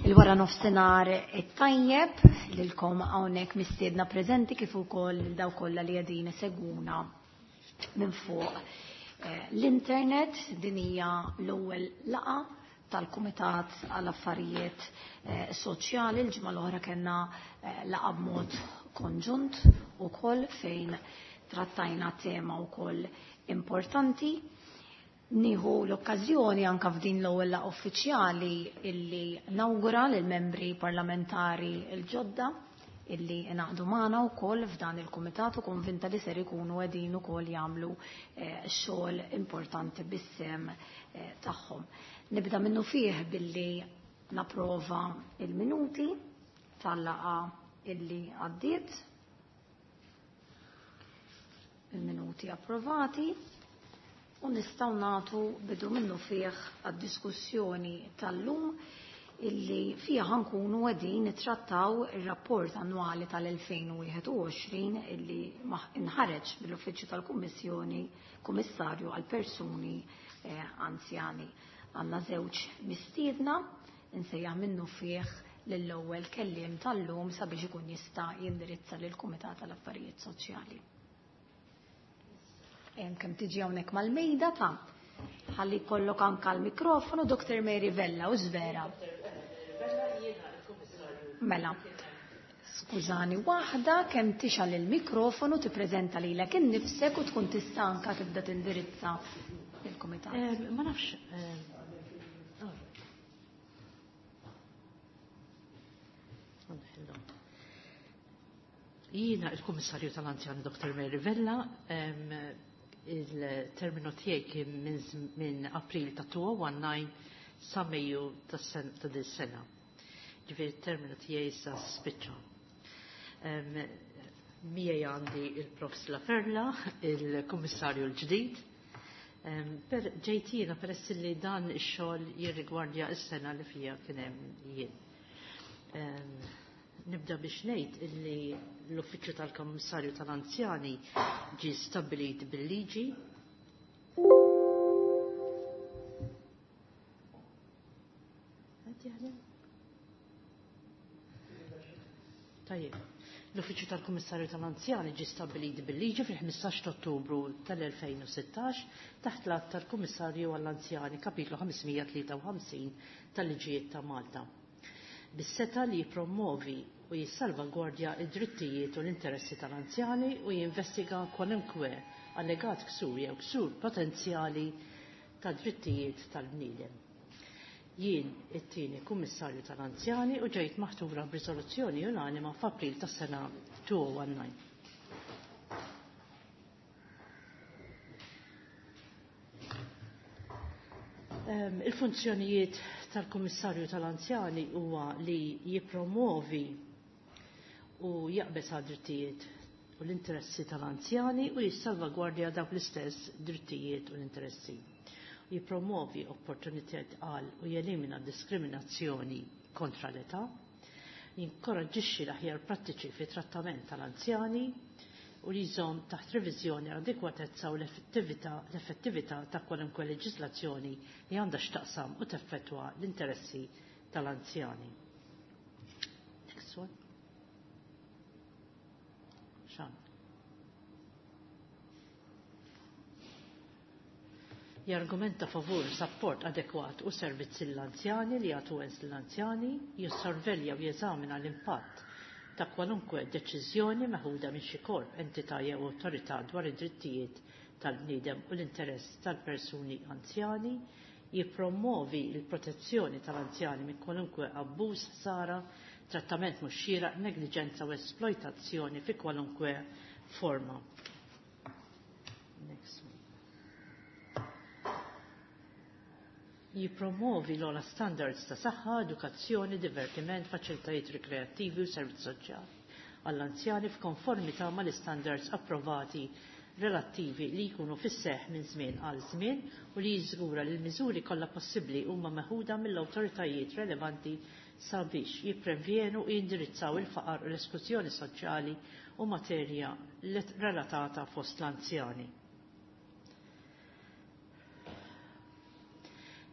Il-wara nofsinhar it-tajjeb lilkom hawnhekk mistiedna preżenti kif ukoll lil dawk kollha li qegħdin isegwuna minn fuq eh, l-internet. Din hija l-ewwel laqgħa tal-Kumitat għal Affarijiet eh, Soċjali. Il-ġimgħa l-oħra kellna eh, laqgħa b'mod konġunt ukoll fejn trattajna tema wkoll importanti. Nieħu l-okkażjoni anka f'din l-ewwel laqgħa uffiċjali illi nawgura lill-membri parlamentari l-ġodda illi ingħaqdu magħna wkoll f'dan il-kumitat u konvinta li ser ikunu qegħdin ukoll jagħmlu eh, xogħol importanti bis-sem eh, tagħhom. Nibda minnu fih billi napprova il-minuti tal-laqgħa illi għaddiet. Il-minuti approvati u nistgħu nagħtu bidu minnu fih għad-diskussjoni tal-lum illi fiha ħankunu qegħdin nittrattaw ir-rapport annwali tal-2021 illi inħareġ mill-Uffiċċju tal-Kummissjoni Kummissarju għal Persuni eh, Anzjani. Għandna żewġ mistiedna insejjaħ minnu fih lill-ewwel kelliem tal-lum sabiex ikun jista' jindirizza lill-Kumitat tal-Affarijiet Soċjali. Kemm tiġi hawnhekk mal-mejda ta' ħalli jkollok anka l-mikrofonu Dr. Mary Vella u żvera. Mela. Skużani, waħda kemm tixgħal il-mikrofonu tippreżenta lilek innifsek u tkun tista' anka tibda tindirizza il-kumitat. Ma nafx. Jiena il-Kummissarju tal-Anzjani Dr. Mary Vella, il-terminu tiegħi kien minn April ta' 2019 sa Mejju ta' din sena. Ġifieri il-terminu tiegħi issa spiċċa. Miegħi għandi il-Prof. Laferla, il-Kummissarju l-ġdid. Per ġejt jiena peress li dan ix-xogħol jirrigwardja s-sena li fija kien hemm jien. Nibda biex ngħid illi l-Uffiċċju tal-Kummissarju tal-Anzjani ġie stabbilit bil-liġi. Qed jaħdem? Tajjeb. L-Uffiċċju tal-Kummissarju tal-Anzjani ġie stabbilit bil-liġi fil-15 ta' Ottubru tal-2016 taħt l-att tal-Kummissarju għall-Anzjani kapitlu 553 tal-Liġijiet ta' Malta. Bis-seta li jippromovi u jissalvagwardja id-drittijiet u l-interessi tal-anzjani u jinvestiga kwalunkwe allegat ksur jew ksur potenzjali ta' drittijiet tal-bniedem. Jien it-tieni kummissarju tal-anzjani u ġejt maħtura b'riżoluzzjoni unanima f'April tas-sena 2019. Il-funzjonijiet tal-Kummissarju tal-Anzjani huwa li jippromovi u jaqbeż għad drittijiet u l-interessi tal-anzjani u jissalvagwardja dawk l-istess drittijiet u l-interessi. Jippromovi opportunitajiet għal u jelimina diskriminazzjoni kontra l-età, jinkoraġġixxi l-aħjar prattiċi fi trattament tal-anzjani u li jżomm taħt reviżjoni l-adekwatezza u l-effettività ta' kwalunkwe leġislazzjoni li għandha x'taqsam u teffettwa l-interessi tal-anzjani. Next one. Xan. Jargumenta favur sapport adekwat u servizzi l-anzjani li jagħtu wens l-anzjani, jissorvelja u jeżamina l-impatt ta' kwalunkwe deċiżjoni meħuda minn xi korp, entità jew awtorità dwar id-drittijiet tal-bniedem u l-interess tal-persuni anzjani, jippromovi l-protezzjoni tal-anzjani minn kwalunkwe abbuż, ħsara, trattament mhux xieraq, negliġenza u esploitazzjoni fi kwalunkwe forma. Next one. Jippromovi l-ogħla standards ta' saħħa, edukazzjoni, divertiment, faċilitajiet rikreattivi u servizz soċjali għall-anzjani f'konformità mal-istandards approvati relattivi li jkunu fis-seħħ minn żmien għal żmien u li jiżgura li l-miżuri kollha possibbli huma meħuda mill-awtoritajiet relevanti sabiex jipprevjenu u jindirizzaw il-faqar u l-esklużjoni soċjali u materja relatata fost l-anzjani.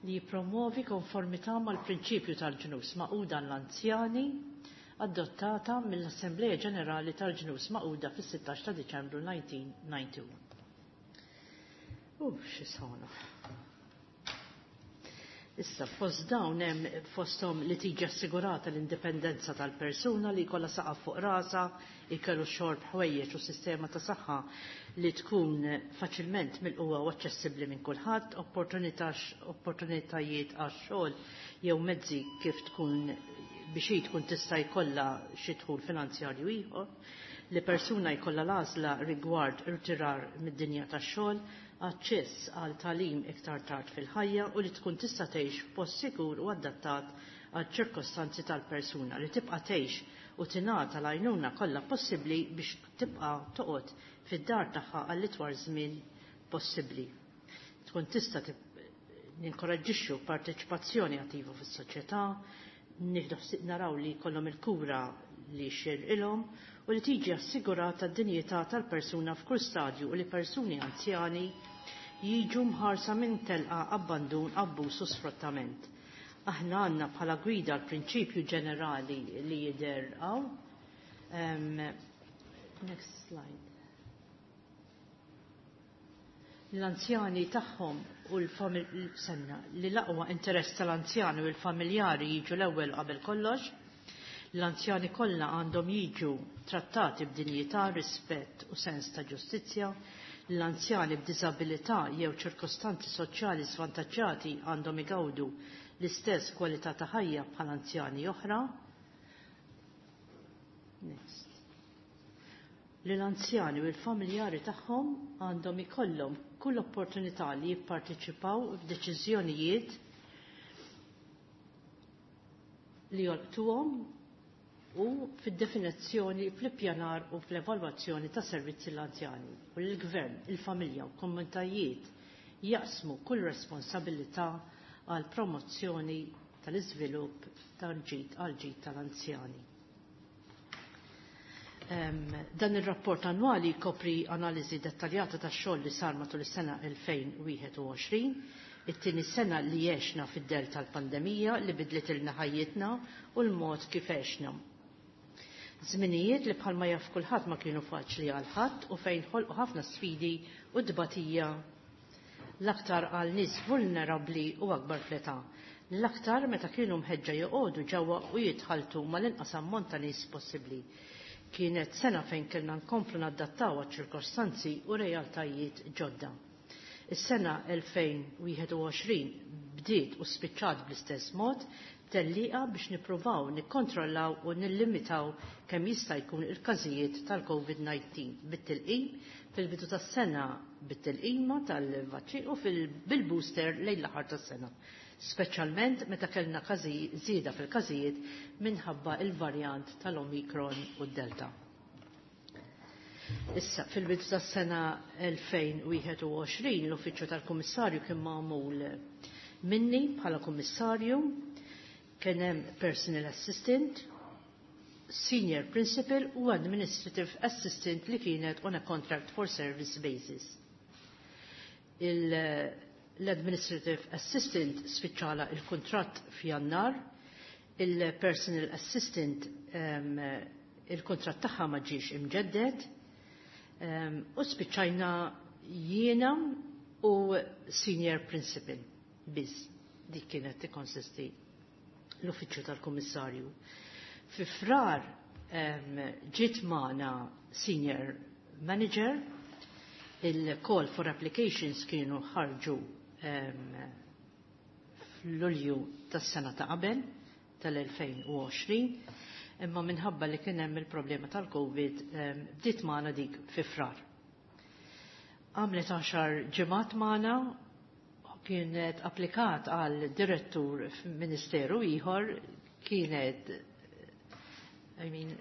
Li jippromovi konformità mal-prinċipju tal-Ġnus Magħquda l-anzjani adottata mill-Assembleja Ġenerali tal-Ġnus Magħquda fis-16 ta' Diċembru 1991. Xi sħana. Issa, fost dawn hemm fosthom li tiġi assigurata l-indipendenza tal-persuna li jkollha saqaf fuq rasa, ikellu xorb ħwejjeġ u sistema ta' saħħa li tkun faċilment milquha u aċċessibbli minn kulħadd, opportunitajiet għax-xogħol jew mezzi kif tkun biex hi tkun tista' jkollha xi dħul finanzjarju ieħor, li persuna jkollha l-għażla rigward irtirar mid-dinja tax-xogħol, aċċess għal tagħlim iktar tard fil-ħajja u li tkun tista' tgħix f'post sikur u adattat għal ċirkostanzi tal-persuna, li tibqa' tgħix u tingħata l-għajnuna kollha possibbli biex tibqa' toqgħod fid-dar tagħha għall itwal żmien possibbli. Tkun tista' ninkoraġġixxu parteċipazzjoni attiva fis-soċjetà, nieħdu naraw li jkollhom il-kura li xirqilhom u li tiġi assigurata d-dinjità tal-persuna f'kull stadju u li persuni anzjani jiġu mħarsa minn telqa, abbandun, abbuż u sfruttament. Aħna għandna bħala gwida l-prinċipju ġenerali li jidher hawn. Next slide. L-anzjani tagħhom u l-senna li l-aqwa interess tal-anzjani u l-familjari jiġu l-ewwel qabel kollox. L-anzjani kollha għandhom jiġu trattati b'dinjità, rispett u sens ta' ġustizzja. L-anzjani b'diżabilità jew ċirkostanzi soċjali svantaġġati għandhom igawdu l-istess kwalità ta' ħajja bħal anzjani oħra. Next. Li l-anzjani u l-familjari tagħhom għandhom ikollhom kull opportunità li jipparteċipaw f'deċiżjonijiet li jolqtuhom u fid-definizzjoni, fl-ippjanar u fl-evalwazzjoni ta' servizzi l-anzjani. U l-gvern, il-familja u komunitajiet jaqsmu kull responsabilità għal promozzjoni tal-iżvilupp tal-ġid għal ġid tal-anzjani. Dan ir-rapport annwali jkopri analiżi dettaljata tax-xogħol li sar matul is-sena 2021, it-tieni sena li għexna fid-del tal-pandemija li bidlet ilna ħajjitna u l-mod kif għexna. Żminijiet li bħalma jaf kulħadd ma kienu faċli għal ħadd u fejn ħolqu ħafna sfidi u dbatija l-aktar għal nies vulnerabbli u akbar fl-età. L-aktar meta kienu mħeġġa joqogħdu ġewwa u jitħaltu mal-inqas ammont ta' nies possibbli. Kienet sena fejn kellna nkomplu nadattaw għaċ-ċirkostanzi u realtajiet ġodda. Is-sena 2021 bdiet u spiċċat bl-istess mod, tellieqa biex nippruvaw nikkontrollaw u nillimitaw kemm jista' jkun il-każijiet tal-COVID-19 bit-tilqim fil-bidu tas-sena, bit-tilqima tal-vaċċin u bil-booster lejn l-aħħar tas-sena. Speċjalment meta kellna żieda fil-każijiet minħabba il-varjant tal-Omicron u d-Delta. Issa, fil-bidu tas-sena 2021 l-Uffiċċju tal-Kummissarju kien magħmul minni bħala kummissarju, kien hemm personal assistant, senior principal u administrative assistant li kienet on a contract for service basis. L-administrative assistant spiċċala il-kontratt f'Jannar, il-personal assistant il-kontratt tagħha ma ġiex imġedded, u spiċċajna jiena u senior principal biss. Dik kienet tikkonsisti l-uffiċċju tal-Kummissarju. Fi Frar ġiet magħna senior manager, il-call for applications kienu ħarġu fl-Lulju tas-sena ta' qabel tal-2020, imma minħabba li kien hemm il-problema tal-Covid bdiet magħna dik fi Frar. Għamlet 10 ġimgħat magħna, kienet applikat għal direttur f'ministeru ieħor, kienet, I mean,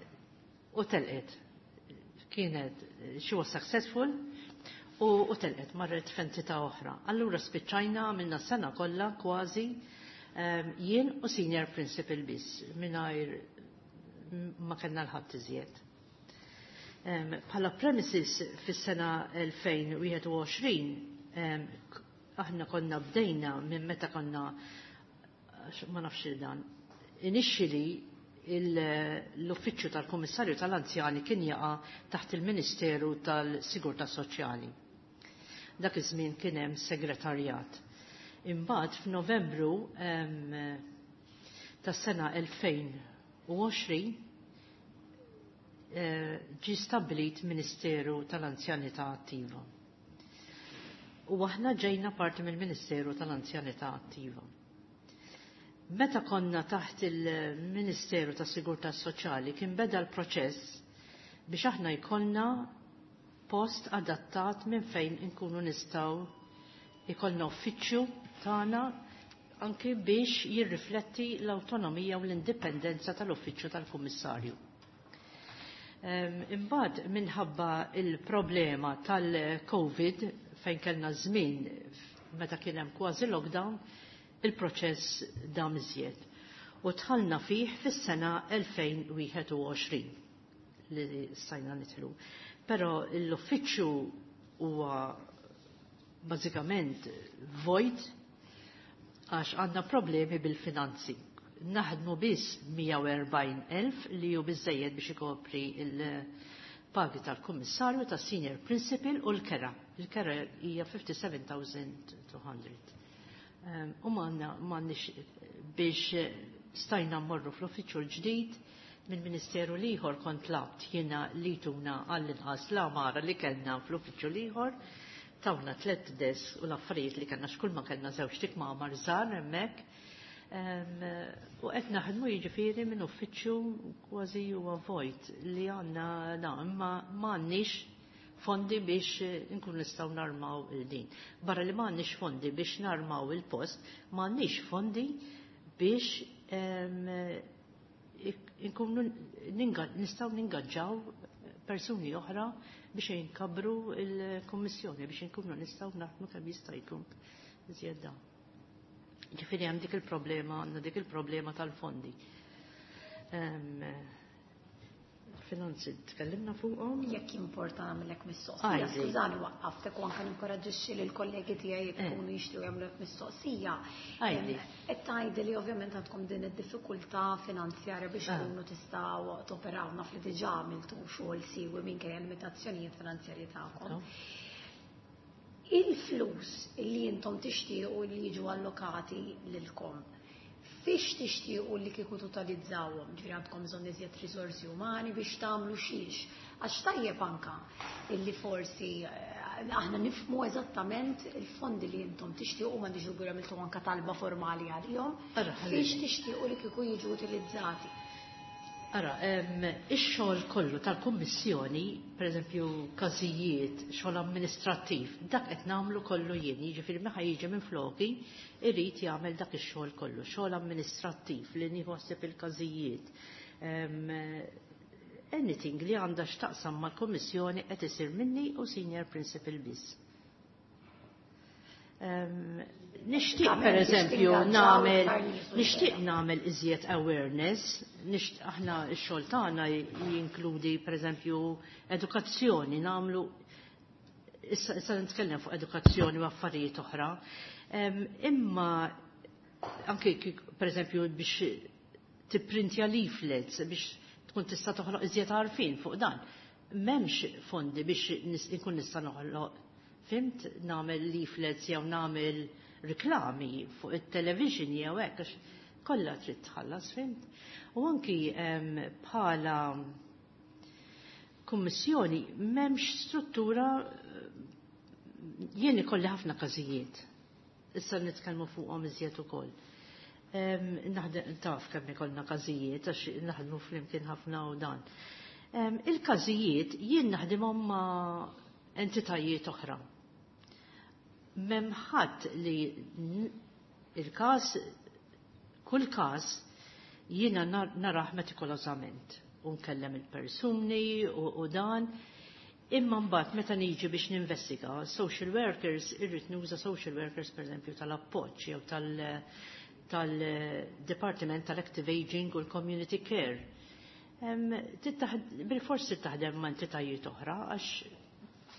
u telqet. Kienet, she was successful u telqet, marret f'entità oħra. Allura spiċċajna għamilna sena kollha kważi jien u senior principal biss, mingħajr ma kellna l-ħadd iżjed. Bħala premises fis-sena 2021 Aħna konna bdejna minn meta konna, ma nafx dan, initially l-Uffiċċju tal-Kummissarju tal-Anzjani kien jaqa' taħt il-Ministeru tal-Sigurtà Soċjali. Dak iż-żmien kien hemm segretarjat. Imbagħad f'Novembru tas-sena 2020 ġie stabbilit Ministeru tal-Anzjanità Attiva. U aħna ġejna parti mill-Ministeru tal-Anzjanità Attiva. Meta konna taħt il-Ministeru tas Sigurtà Soċjali kien beda l-proċess biex aħna jkollna post adattat minn fejn inkunu nistgħu jkollna uffiċċju tagħna anki biex jirrifletti l-awtonomija u l-indipendenza tal-uffiċċju tal-Kummissarju. Imbagħad minħabba il-problema tal-Covid fejn kellna żmien meta kien hemm kważi lockdown, il-proċess dam iżjed. U dħalna fih fis-sena 2021 li stajna nidħlu. Però l-uffiċċju huwa bażikament vojt għax għandna problemi bil-finanzi. Naħdmu biss 140,000 li hu biżejjed biex ikopri il-pagi tal-kummissarju, tas-senior principal u l-kera. Il-kera hija 57,200. U m'għandniex biex stajna mmorru fl-uffiċċju l-ġdid mill-Ministeru l-ieħor kont tlabt jiena li tuna għall-inqas l-għamara li kellna fl-uffiċċju l-ieħor, tawna 3 desk u l-affarijiet li kellna x'kull ma kellna żewġ tikmamar żgħar hemmhekk. U qed naħdmu jiġifieri minn uffiċċju kważi huwa vojt li għandna na, imma m'għandniex fondi biex nkun nistgħu narmaw il-din. Barra li m'għandniex fondi biex narmaw il-post, m'għandniex fondi biex nkunu nistgħu ningaġġaw persuni oħra biex jinkabru il-Kommissjoni, biex nkunu nistgħu naħdmu kemm jista' jkun iżjed dan. Ġifieri hemm dik il-problema, għandna dik il-problema tal-fondi. Finanzi tkellimna fuqhom. Jekk importa nagħmellek mistoqsija, Għajdi. skużani waqqaftek u anke ninkoraġġixxi lil kollegi tiegħi jekk ikunu jixtiequ jagħmlulek mistoqsija. Għajdi. Qed tgħidi li ovvjament għandkom din id-diffikultà finanzjarja biex tkunu tistgħu toperaw, naf li diġà għamiltu xogħol siwi minkejja limitazzjonijiet finanzjarji tagħkom. Il-flus li intom tixtiequ li jiġu allokati lilkom, fiex tixtiequ li kieku totalizzawhom, ġifieri għandkom bżonn iżjed risorsi umani biex tagħmlu xiex. Għax tajjeb anka illi forsi aħna nifhmu eżattament il-fondi li intom tixtiequ, m'għandix dubju għamiltu anka talba formali għalihom, Ara, fiex ħalli. tixtiequ li kieku jiġu utilizzati. Ara, ix-xogħol kollu tal-Kummissjoni, pereżempju każijiet, xogħol amministrattiv, dak qed nagħmlu kollu jien, jiġifieri meta jiġi minn floki, irid jagħmel dak ix-xogħol kollu, xogħol amministrattiv li nieħu ħsieb il-każijiet. Anything li għandha x'taqsam mal-Kummissjoni qed isir minni u senior principal biss. Nixtieq Tagħmel per biex eżempju tingaġġaw nagħmel iktar nies u nixtieq ġera. nagħmel iżjed awareness, aħna x-xogħol tagħna jinkludi per eżempju edukazzjoni, nagħmlu issa nitkellem fuq edukazzjoni u affarijiet oħra. Imma anke per eżempju biex tipprintja leaflets biex tkun tista' toħloq iżjed għarfien fuq dan. M'hemmx fondi biex inkun nista' noħloq, fimt, nagħmel leaflets jew nagħmel riklami fuq it-television jew hekk, għax kollha trid tħallas, fimt. U anki bħala kummissjoni m'hemmx struttura, jien ikolli ħafna każijiet. Issa nitkellmu fuqhom iżjed ukoll. Naħdem taf kemm ikollna każijiet għax naħdmu flimkien ħafna u dan. Il-każijiet jien naħdimhom ma' entitajiet oħra. M'hemm ħadd li il-każ, kull każ jiena narah metikolosament u nkellem il-persuni u dan. Imma mbagħad meta niġi biex ninvestiga, social workers, irrid nuża social workers pereżempju tal-appoġġ jew tal-Departiment tal-Active Aging u l-Community Care. Bil-forsi taħdem ma' entitajiet oħra għax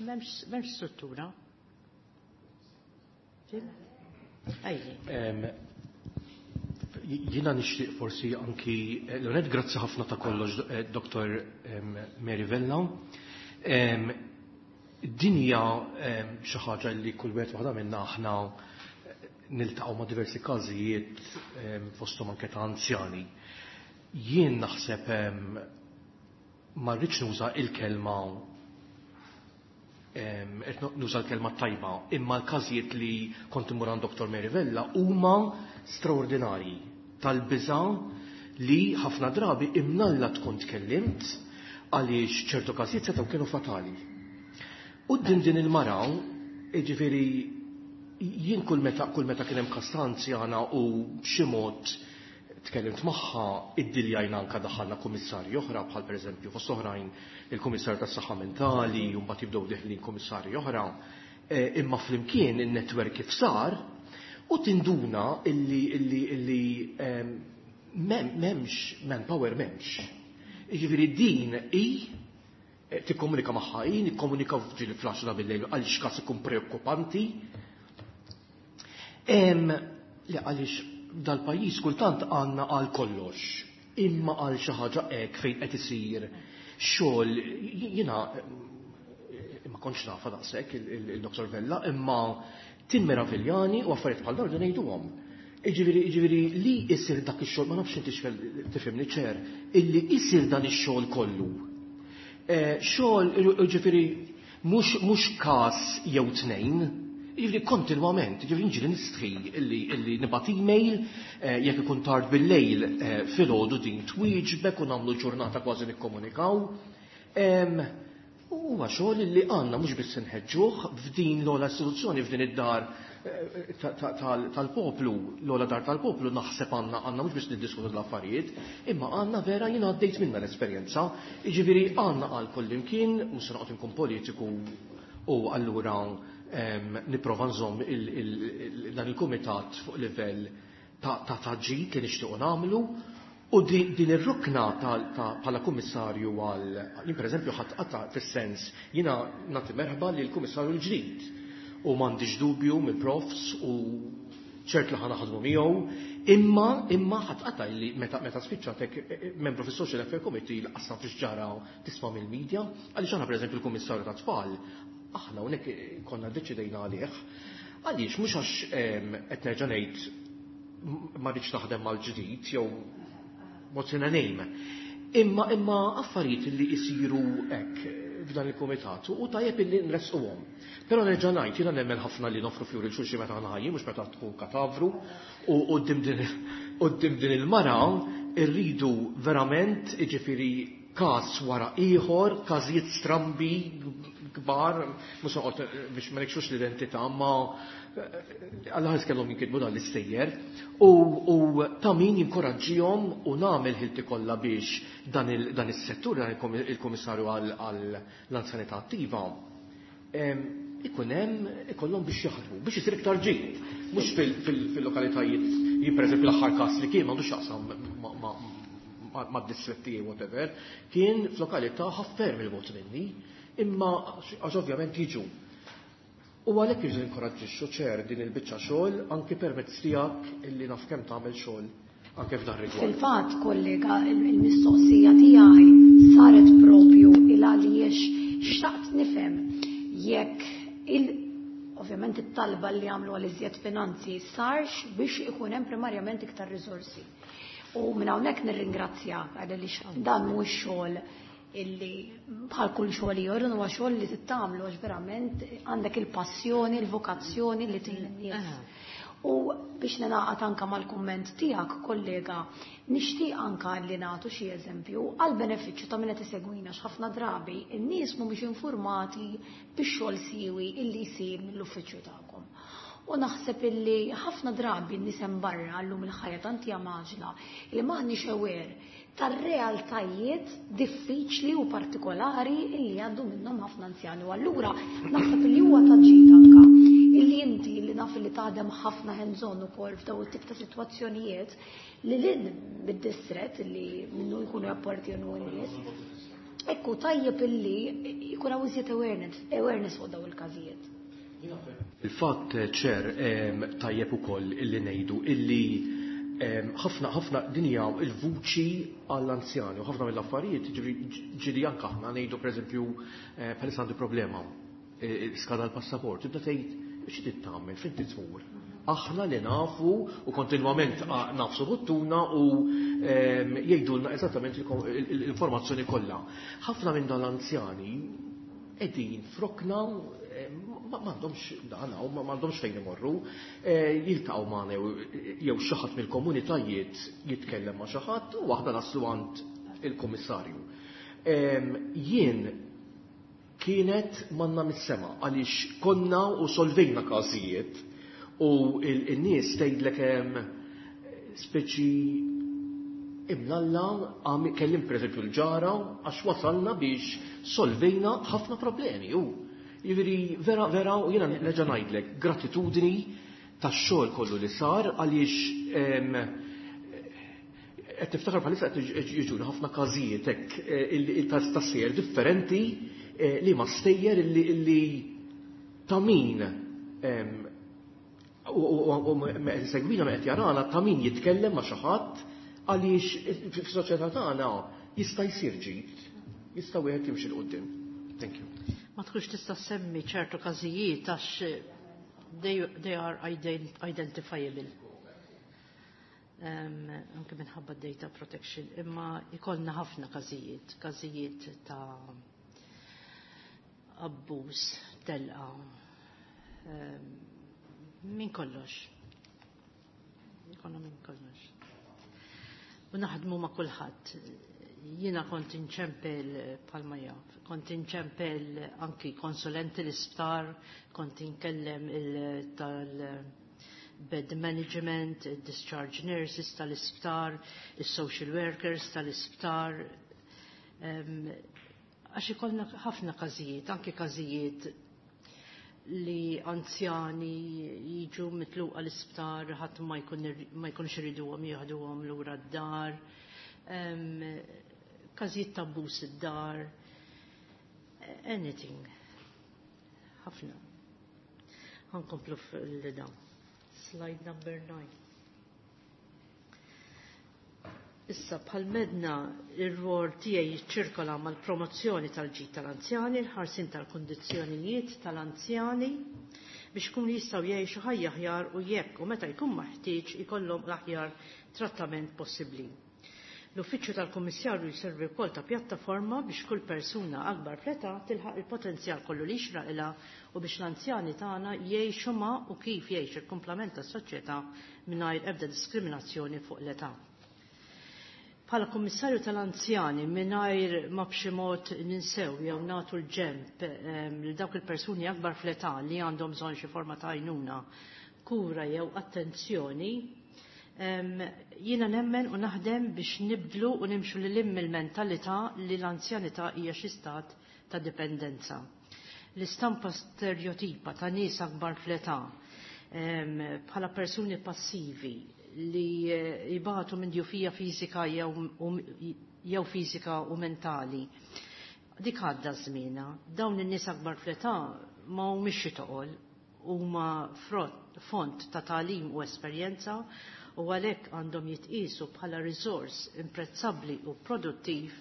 m'hemmx struttura. Tim? Ajli. Jiena nixtieq forsi anki l-onet grazzi ħafna ta' kollox Dr. Mary Vella. Din hija xi ħaġa li kull wieħed waħda minna aħna niltaqgħu ma' diversi każijiet fosthom anke ta' anzjani. Jien naħseb ma rridx nuża il-kelma qed nuża l-kelma tajba, imma l-każijiet li kont immur għand Dr. Mary Vella huma straordinarji tal-biża' li ħafna drabi imnalla tkun tkellimt għaliex ċertu każijiet setgħu kienu fatali. U din din il-mara, jiġifieri jien kull meta kull meta kien hemm każ ta' anzjana u b'xi mod tkellimt magħha, iddiljajna anke daħħalna kummissarji oħra bħal pereżempju fost oħrajn il-Kummissarju tas-Saħħa Mentali u mbagħad jibdew deħlin kummissarji oħra. Imma flimkien in-netwerk kif sar u tinduna illi illi illi m'hemmx manpower m'hemmx. Jiġifieri din hi tikkomunika magħha hi, nikkomunika ġieli fl-10 bil-lejl għaliex każ ikun preokkupanti. Le għaliex dal-pajjiż kultant għandna għal kollox, imma għal xi ħaġa hekk fejn qed isir xogħol jiena ma kontx nafha daqshekk il-Dr. Vella, imma timmeraviljani u affarijiet bħal dawn ngħiduhom. Jiġifieri jiġifieri li jsir dak ix-xogħol, ma nafx inti tifhimni ċer, illi jsir dan ix-xogħol kollu. Xogħol jiġifieri mhux każ jew tnejn, jiġifieri kontinwament, jiġifieri nġieli nistħi illi illi nibgħat email jekk ikun tard bil-lejl filgħodu din twieġbek u nagħmlu ġurnata kważi nikkomunikaw. Huwa xogħol li għandna mhux biss inħeġġuh f'din l-ogħla istituzzjoni f'din id-dar tal-poplu, l-ogħla dar tal-poplu naħseb għandna għandna mhux biss niddiskutu l-affarijiet, imma għandna vera jiena għaddejt minna l-esperjenza, jiġifieri għandna għal kullimkien, mhux se noqgħod inkun politiku u allura nipprova nżomm dan il-kumitat fuq livell ta' taġġid li nixtiequ nagħmlu. U din ir-rukna bħala kummissarju għal jien pereżempju ħadd qata' fis-sens jiena nagħti merħba lil kummissarju l-ġdid u m'għandix dubju mill-profs u ċert li ħa naħdmu miegħu, imma imma ħadd qata' li meta meta spiċċatek membru fis-Social Affairs Committee l-qasam fiex ġara tisma' mill-medja, għaliex aħna pereżempju l-Kummissarju tat-Tfal aħna hawnhekk konna ddeċidejna għalih. Għaliex mhux għax qed nerġa' ngħid ma rridx naħdem mal-ġdid jew what's in a name. Imma imma affarijiet li jsiru hekk f'dan il-kumitat u tajjeb illi nresquhom. Però nerġa' ngħid jiena nemmen ħafna li nofru fjuri l-xulxin meta aħna ħajjin mhux meta tkun katavru u quddiem din il-mara rridu verament jiġifieri każ wara ieħor, każijiet strambi kbar, mhux noqgħod biex ma nikxux l-identità, ma Alla ħares kellhom jinkitbu dan l-istejjer u ta' min jinkoraġġihom u nagħmel ħilti kollha biex dan is-settur dan il-Kummissarju għall-Anzjanità Attiva ikun hemm ikollhom biex jaħdmu biex isir iktar ġid. Mhux fil-lokalitajiet, jien pereżempju l-aħħar każ li kien m'għandux x'jaqsam mad-distretti whatever, kien f'lokalità ħafna 'il bogħod minni, imma għax ovvjament jiġu. U għalhekk irridu ninkoraġġixxu ċer din il-biċċa xogħol anki permezz tiegħek illi naf kemm tagħmel xogħol anke f'dan rigward. Fil-fatt, kollega, il-mistoqsija tiegħi saret propju il għaliex xtaqt nifhem jekk il ovvjament it-talba li għamlu għal iżjed finanzi sarx biex ikun hemm primarjament iktar riżorsi. U minn hawnhekk nirringrazzja għaliex dan mhuwiex xogħol illi bħal kull xogħol ieħor huwa xogħol li tittamlu għax verament għandek il-passjoni, il-vokazzjoni li tgħin in-nies. U biex ninaqat anka mal-kumment tiegħek, kollega, nixtieq anka li nagħtu xi eżempju għal benefiċċju ta' min qed isegwina x'ħafna drabi in-nies mhumiex informati bix-xogħol siwi illi jsir mill-uffiċċju tagħkom. U naħseb illi ħafna drabi n-nies hemm barra llum il-ħajja tant hija maġla li m'aħniex aware tar-realtajiet diffiċli u partikolari illi għaddu minnhom ħafna anzjani. U allura naħseb illi huwa ta' ġid anka illi inti li naf li taħdem ħafna hands-on ukoll f'daw it-tip ta' sitwazzjonijiet li lin bid-distret li minnu jkunu jappartjenu n-nies. Ekku tajjeb illi jkun hawn iżjed awareness fuq daw il-każijiet. Il-fatt ċer tajjeb ukoll illi ngħidu illi ħafna ħafna dinja il-vuċi għall-anzjani u ħafna mill-affarijiet ġieli anke aħna ngħidu pereżempju bħalissa għandi problema skada l-passaport, tibda tgħid xi trid tagħmel, fejn trid tmur. Aħna li nafu u kontinwament nafsu buttuna u jgħidulna eżattament l-informazzjoni kollha. Ħafna minn dan l-anzjani qegħdin frokna m'għandhomx dan u m'għandhomx fejn imorru, jiltaqgħu magħna jew xi ħadd mill-komunitajiet jitkellem ma' xi ħadd u aħna naslu għand il-kummissarju. Jien kienet manna mis-sema għaliex konna u solvejna każijiet u il-nies tgħidlek hemm speċi imlalla kellim pereżempju l-ġara għax wasalna biex solvejna ħafna problemi u jiġifieri vera vera u jiena nerġa' ngħidlek gratitudni tax-xogħol kollu li sar għaliex qed tiftakar bħalissa qed jiġu ħafna każijiet hekk ta' sejjer differenti li ma stejjer illi ta' min u segwina ma qed jarana ta' min jitkellem ma' xi ħadd għaliex fis-soċjetà tagħna jista' jsir ġid, jista' wieħed jimxi 'l quddiem. Thank you. Ma tkunx tista' semmi ċertu każijiet għax they are identifiable. Anke minħabba data protection, imma ikollna ħafna każijiet, każijiet ta' abbuż, telqa, minn kollox. Ikollna minn kollox. U naħdmu ma' kulħadd. Jiena kont inċempel palma jaf, kont inċempel anki konsulenti l-isptar, kont inkellem tal-bed management, discharge nurses tal-isptar, il-social workers tal-isptar. Għax ikollna ħafna każijiet, anki każijiet li anzjani jiġu mitluqa l-isptar, ħadd ma jkunx iriduhom jieħduhom lura d-dar, każijiet ta' abbuż id-dar, anything. Ħafna. Ħa nkomplu fil-dawn. Slide number 9. Issa bħal medna ir-rwol tiegħi jiċċirkola mal-promozzjoni tal-ġid tal-anzjani, l-ħarsin tal-kondizzjonijiet tal-anzjani biex ikunu jistgħu jgħixu ħajja aħjar u jekk u meta jkun maħtieġ ikollhom l-aħjar trattament possibbli. L-Uffiċċju tal-Kummissarju jservi wkoll ta' pjattaforma biex kull persuna akbar fl-età tilħaq il-potenzjal kollu li jixraqilha u biex l-anzjani tagħna jgħixu ma' u kif jgħix il-kumplament tas-soċjetà mingħajr ebda diskriminazzjoni fuq l-età. Bħala Kummissarju tal-Anzjani mingħajr ma b'xi mod ninsew jew nagħtu l-ġenb lil dawk il-persuni akbar fl-età li għandhom bżonn xi forma ta' għajnuna, kura jew attenzjoni, jiena nemmen u naħdem biex nibdlu u nimxu lil hemm il-mentalità li l-anzjanità hija xi stat ta' dipendenza. L-istampa stereotipa ta' nies akbar fl-età bħala persuni passivi li jibatu minn djufija fiżika jew fiżika u mentali. Dik għadda żmienha. Dawn in-nies akbar fl-età ma humiex xi toqol, huma font ta' tagħlim u esperjenza u għalhekk għandhom jitqisu bħala riżors imprezzabbli u produttiv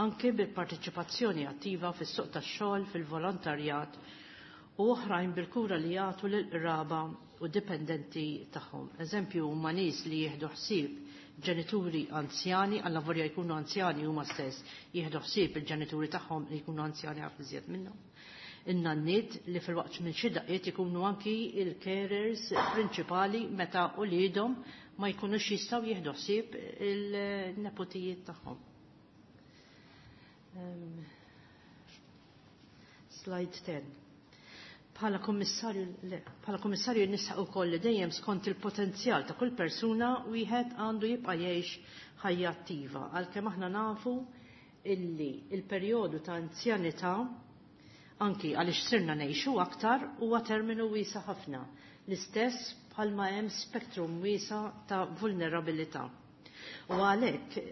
anke bil-parteċipazzjoni attiva fis-suq tax-xogħol, fil-volontarjat u oħrajn bil-kura li jagħtu lil-qraba u dipendenti tagħhom. Eżempju huma nies li jieħdu ħsieb ġenituri anzjani, għallavolja jkunu anzjani huma stess, jieħdu ħsieb il-ġenituri tagħhom li jkunu anzjani ħafna iżjed minnhom. In-nanniet li fil-waqt minn xi daqqiet ikunu anki il-carers prinċipali meta uliedhom ma jkunux jistgħu jieħdu ħsieb il-nepotijiet tagħhom. Slide 10. Bħala kummissarju nisħaq ukoll li dejjem skont il-potenzjal ta' kull persuna wieħed għandu jibqa' jgħix ħajja attiva, għalkemm aħna nafu illi il-perjodu ta' anzjanità anki għaliex sirna ngħixu aktar huwa terminu wiesa' ħafna, l-istess bħalma hemm spektrum wiesa' ta' vulnerabilità. U għalhekk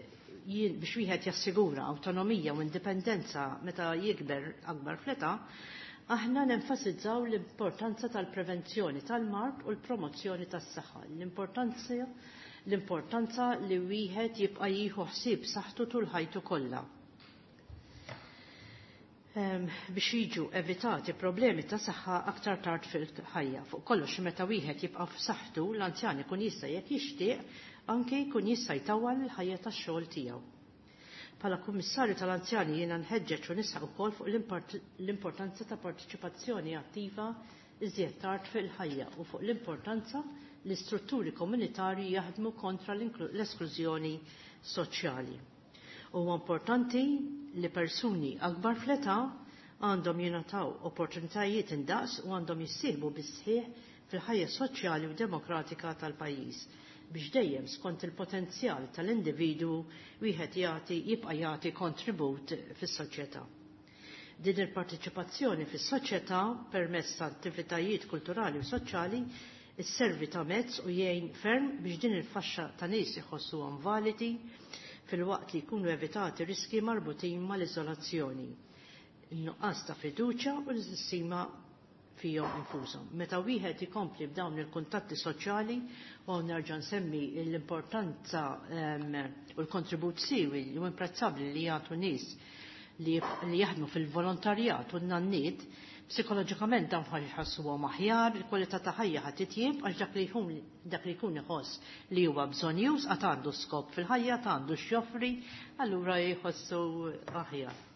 biex wieħed jassigura awtonomija u indipendenza meta jikber akbar fl-età, Aħna nenfasizzaw l-importanza tal-prevenzjoni tal-mard u l-promozzjoni tas-saħħa, l-importanza li wieħed jibqa' jieħu ħsieb saħħtu tul ħajtu kollha. Biex jiġu evitati problemi ta' saħħa aktar tard fil-ħajja. Fuq kollox meta wieħed jibqa' f'saħħtu l-anzjan ikun jista' jekk jixtieq anke jkun jista' jtawwal il-ħajja tax-xogħol tiegħu. Bħala Kummissarju tal-Anzjani jiena nħeġġeġ u nisħaq ukoll fuq l-importanza ta' partiċipazzjoni attiva iżjed tard fil-ħajja u fuq l-importanza li strutturi komunitarji jaħdmu kontra l-esklużjoni soċjali. Huwa importanti li persuni akbar fl-età għandhom jingħataw opportunitajiet indaqs u għandhom jissieħbu bis-sħiħ fil-ħajja soċjali u demokratika tal-pajjiż biex dejjem skont il-potenzjal tal-individwu wieħed jagħti jibqa' jagħti kontribut fis-soċjetà. Din il-partiċipazzjoni fis-soċjetà permezz ta' attivitajiet kulturali u soċjali isservi ta' mezz u jgħin ferm biex din il-faxxa ta' nies iħossuhom validi filwaqt li jkunu evitati riski marbutin mal-iżolazzjoni, in-nuqqas ta' fiduċja u l-istima fihom infushom. Meta wieħed ikompli b'dawn il-kuntatti soċjali u nerġa' nsemmi l-importanza u l-kontribut siwi u imprezzabbli li jagħtu nies li jaħdmu fil-volontarjat u n-nanniet, psikoloġikament dawn ħassuhom aħjar, il-kwalità ta' ħajja ħadd titjieb għax dak li jkun iħoss li huwa bżonjuż għad għandu skop fil-ħajja, għad għandu x'joffri, allura jħossu aħjar.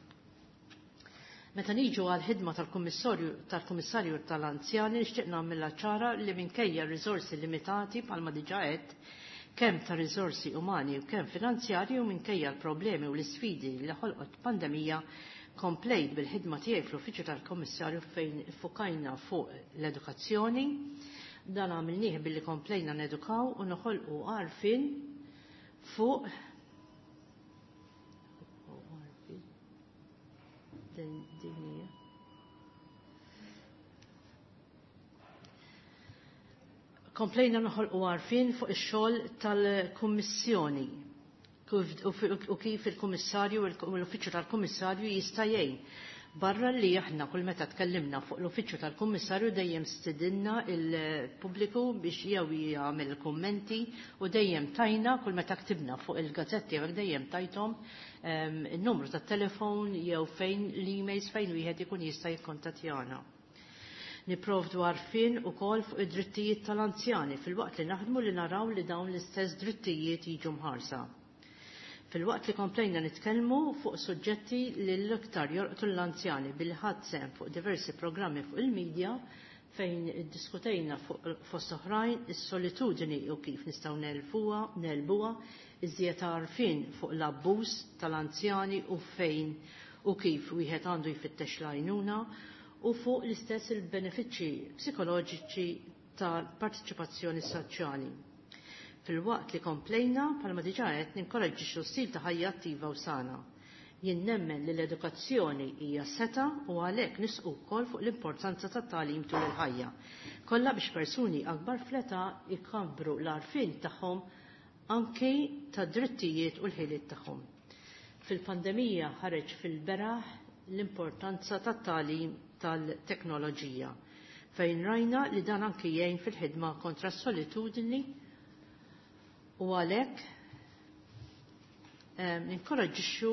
Meta niġu għal ħidma tal-Kummissarju tal-Anzjani nixtieq nagħmilha ċara li minkejja riżorsi limitati bħalma diġà għedt, kemm ta' riżorsi umani u kemm finanzjarji u minkejja l-problemi u l-isfidi li ħolqot pandemija, komplejt bil-ħidma tiegħi fl-Uffiċċju tal-Kummissarju fejn iffukajna fuq l-edukazzjoni. Dan għamilnieh billi komplejna nedukaw u noħolqu għarfien fuq din. Komplejna noħolqu għarfien fuq ix-xogħol tal-Kummissjoni u kif il-Kummissarju u l-Uffiċċju tal-Kummissarju jista' jgħin. Barra li aħna kull meta tkellimna fuq l-Uffiċċju tal-Kummissarju dejjem stidinna il-pubbliku biex jew jagħmel kummenti u dejjem tajna kull meta ktibna fuq il-gazzetti jew dejjem tajthom in-numru tat-telefon jew fejn l-emails fejn wieħed ikun jista' jikkontattjana. Nipprovdu għarfien ukoll fuq id-drittijiet tal-anzjani filwaqt li naħdmu li naraw li dawn l-istess drittijiet jiġu mħarsa. Filwaqt li komplejna nitkellmu fuq suġġetti li l-iktar jolqtu l-anzjani billi ħadd sehem fuq diversi programmi fuq il-medja fejn iddiskutejna fuq fost oħrajn is-solitudni u kif nistgħu nelbuha, iżjed għarfien fuq l-abbuż tal-anzjani u fejn u kif wieħed għandu jfittex l-għajnuna u fuq l-istess il-benefiċċji psikoloġiċi tal-partiċipazzjoni soċjali. Filwaqt li komplejna, bħalma diġà qed ninkoraġġixxu stil ta' ħajja attiva u sana. Jien nemmen li l-edukazzjoni hija seta u għalhekk nisqu wkoll fuq l-importanza tat-tagħlim tul il-ħajja. Kollha biex persuni akbar fl-età jkabbru l-għarfien tagħhom anki tad-drittijiet u l-ħiliet tagħhom. Fil-pandemija ħareġ fil-beraħ l-importanza tat-tagħlim tal-teknoloġija fejn rajna li dan anki jgħin fil-ħidma kontra s-solitudni u għalhekk ninkoraġġixxu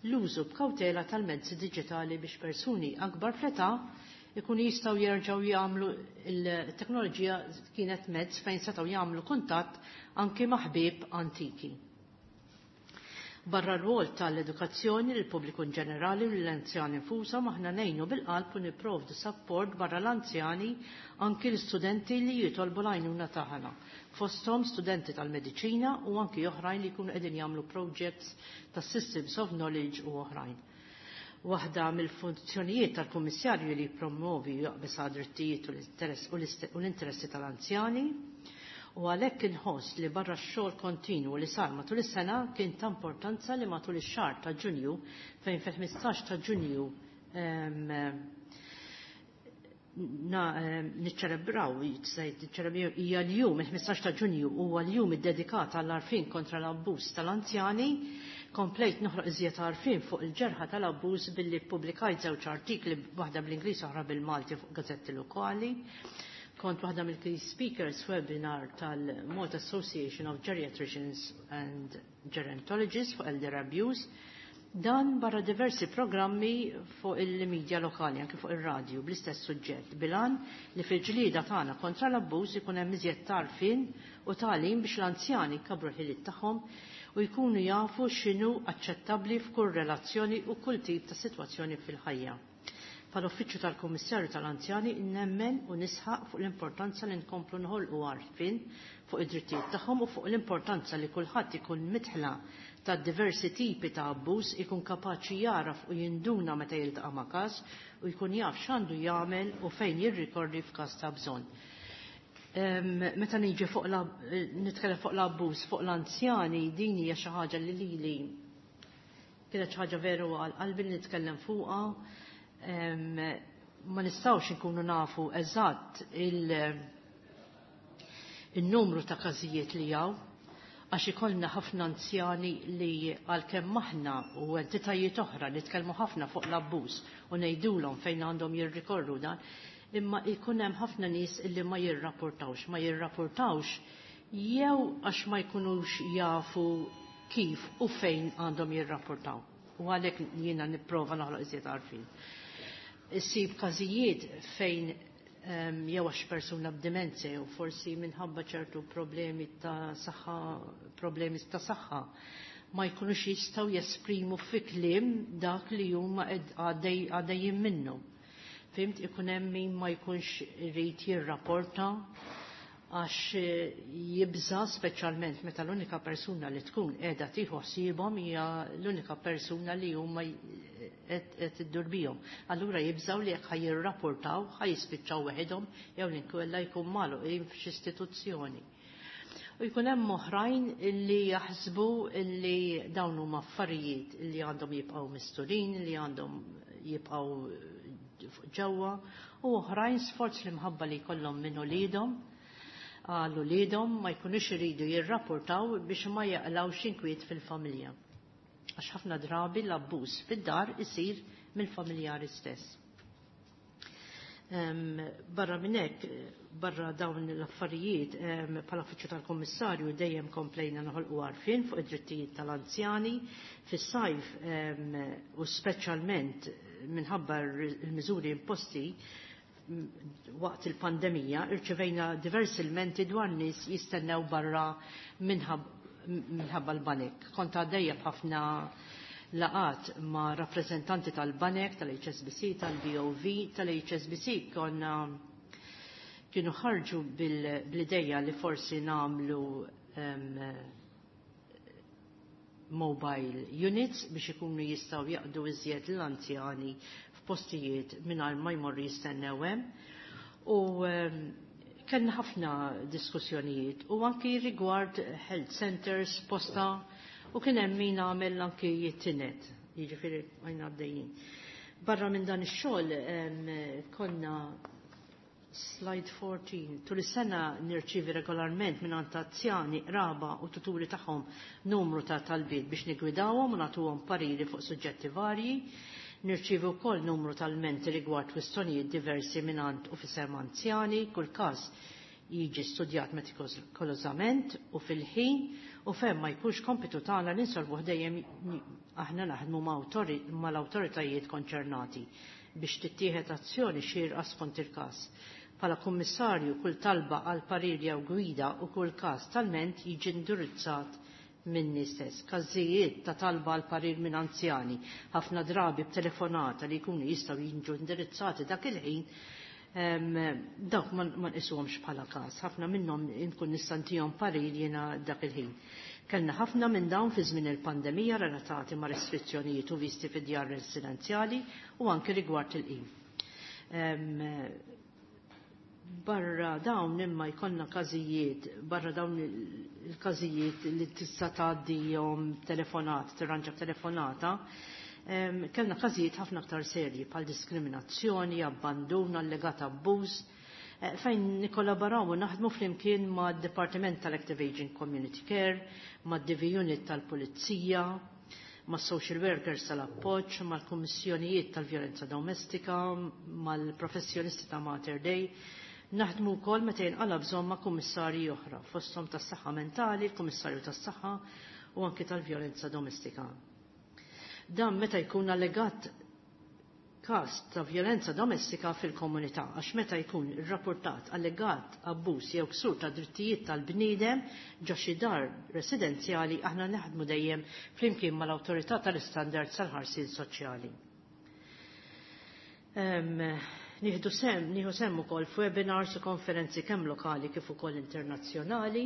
l-użu b'kawtela tal-mezzi diġitali biex persuni akbar fl-età ikunu jistgħu jerġgħu jagħmlu il-teknoloġija kienet mezz fejn setgħu jagħmlu kuntatt anki ma' ħbieb antiki. Barra r-rwol tal-edukazzjoni lill pubbliku in ġenerali u l-anzjani infushom aħna ngħinu bil-qalb u nipprovdu support barra l-anzjani anki l-istudenti li jitolbu l-għajnuna tagħna. Fosthom studenti tal-mediċina u anki oħrajn li jkunu qegħdin jagħmlu projects ta' systems of knowledge u oħrajn. Waħda mill-funzjonijiet tal-Kummissarju li jippromovi jaqbes drittijiet u l-interessi tal-anzjani u għalhekk inħoss li barra x-xogħol kontinwu li sar matul is-sena kien ta' importanza li matul ix-xahar ta' Ġunju fejn fil-15 ta' Ġunju niċċelebraw hija l-jum il-15 ta' Ġunju huwa l-jum iddedikat għall-għarfien kontra l-abbuż tal-anzjani. Komplejt noħloq iżjed għarfien fuq il-ġerħa tal-abbuż billi ppubblikajt żewġ artikli, waħda bl-Ingliż, oħra bil-Malti, fuq gazzetti lokali. Kont waħda mill-key speakers webinar tal-Malta Association of Geriatricians and Gerontologists fuq Elder Abuse. Dan barra diversi programmi fuq il-medja lokali, anke fuq il-radju, bl-istess suġġett, bil-għan li fil-ġlieda tagħna kontra l-abbuż ikun hemm iżjed tagħrfien u tagħlim biex l-anzjani jkabbru l-ħiliet tagħhom u jkunu jafu x'inhu aċċettabbli f'kull relazzjoni u kull tip ta' sitwazzjoni fil-ħajja. Bħal-Uffiċċju tal-Kummissarju tal-Anzjani nemmen u nisħaq fuq l-importanza li nkomplu nħolqu għarfien fuq id-drittijiet tagħhom u fuq l-importanza li kulħadd ikun midħla ta' diversi tipi ta' abbuż, ikun kapaċi jaraf u jinduna meta jiltaqa' ma' każ u jkun jaf x'għandu jagħmel u fejn jirrikorri f'każ ta' bżonn. Meta niġi fuq nitkellem fuq l-abbuż fuq l-anzjani, din hija xi ħaġa li lili kienet xi ħaġa veru għal qalbi li nitkellem fuqha. Ma nistgħux inkunu nafu eżatt il-numru ta' każijiet li hawn, għax ikollna ħafna anzjani li għalkemm aħna u entitajiet oħra nitkellmu ħafna fuq l-abbuż u ngħidulhom fejn għandhom jirrikorru dan, imma jkun hemm ħafna nies illi ma jirrapportawx, ma jirrapportawx jew għax ma jkunux jafu kif u fejn għandhom jirrapportaw. U għalhekk jiena nipprova noħloq iżjed għarfien. Issib każijiet fejn jew għax persuna b'demenzja jew forsi minħabba ċertu problemi ta' saħħa, problemi ta' saħħa, ma jkunux jistgħu jesprimu fi kliem dak li huma għaddejjin minnu. Fhimt, ikun hemm min ma jkunx irid jirrapporta għax jibża, speċjalment meta l-unika persuna li tkun qiegħda tieħu ħsiebhom hija l-unika persuna li huma qed iddur bihom. Allura jibżaw li jekk ħa jirrapportaw ħa jispiċċaw weħidhom jew inkella jkun magħluqin f'xi istituzzjoni. U jkun hemm oħrajn illi jaħsbu illi dawn huma affarijiet illi għandhom jibqgħu misturin, li għandhom jibqgħu ġewwa, u oħrajn sforz l-imħabba li jkollhom minn uliedhom għal uliedhom ma jkunux iridu jirrapportaw biex ma jaqlawx inkwiet fil-familja. Għax ħafna drabi l-abbuż fid-dar isir mill-familjari stess. Barra minn hekk, barra dawn l-affarijiet, bħala uffiċċju tal-Kummissarju dejjem komplejna noħolqu għarfien fuq id-drittijiet tal-anzjani fis-sajf u speċjalment minħabba l-miżuri imposti waqt il-pandemija, irċevejna diversi ilmenti dwar nies jistennew barra minħabba l-banek. Kont għaddejja b'ħafna laqgħat ma' rappreżentanti tal-banek, tal-HSBC, tal-BOV, tal-HSBC konna kienu ħarġu bl-ideja li forsi nagħmlu mobile units biex ikunu jistgħu jaqdu iżjed l-anzjani f'postijiet mingħajr ma jmorru jistennew hemm. U kellna ħafna diskussjonijiet u anki rigward health centers, posta, u kien hemm min għamel anki jittinet, jiġifieri għajna għaddejjin. Barra minn dan ix-xogħol konna slide 14. Tul is-sena nirċievi regolarment minn anzjani, qraba u tuturi tagħhom numru ta' talbiet biex nigwidawhom u nagħtuhom pariri fuq suġġetti varji. Nirċievi wkoll numru tal-menti rigward kwistjonijiet diversi minn u f'isem anzjani, kull każ jiġi studjat metikolożament u fil-ħin, u fejn ma jkunx kompitu tagħna li nsolvu dejjem aħna naħdmu mal-awtoritajiet konċernati biex tittieħed azzjoni xierqa skont il-każ. Bħala kummissarju, kull talba għal parir jew gwida u kull każ talment jiġi indirizzat minni stess. Każijiet ta' talba għal parir minn anzjani, ħafna drabi b'telefonata li jkunu jistgħu jiġu indirizzati dak il-ħin, dawk ma nqisuhomx bħala każ. Ħafna minnhom inkun nista' ntihom parir jiena dak il-ħin. Kellna ħafna minn dawn fi żmien il-pandemija relatati ma' restrizzjonijiet u visti fid-djar residenzjali u anke rigward il-qim. Barra dawn imma jkollna każijiet, barra dawn il-każijiet li tista' tgħaddihom telefonat, tirranġa telefonata, kellna każijiet ħafna aktar serji bħal diskriminazzjoni, abbandun, allegat abbuż, fejn nikkollaboraw u naħdmu flimkien ma' Departiment tal-Active Aging Community Care, ma' DV Unit tal-Pulizija. ma' social workers tal-appoġġ, mal-kummissjonijiet tal-vjolenza domestika, mal-professjonisti ta' Mater Dei. Naħdmu wkoll meta jinqala bżonn ma' kummissarji oħra, fosthom tas-saħħa mentali, il-kummissarju tas-saħħa u anki tal-vjolenza domestika. Dan meta jkun allegat każ ta' vjolenza domestika fil-komunità, għax meta jkun irrapportat allegat abbuż jew ksur ta' drittijiet tal-bniedem ġo xi dar residenzjali, aħna naħdmu dejjem flimkien mal-awtorità tal-istandards tal-ħarsien soċjali. Nieħdu sem, nieħu sem ukoll f'webinars u konferenzi kemm lokali kif ukoll internazzjonali.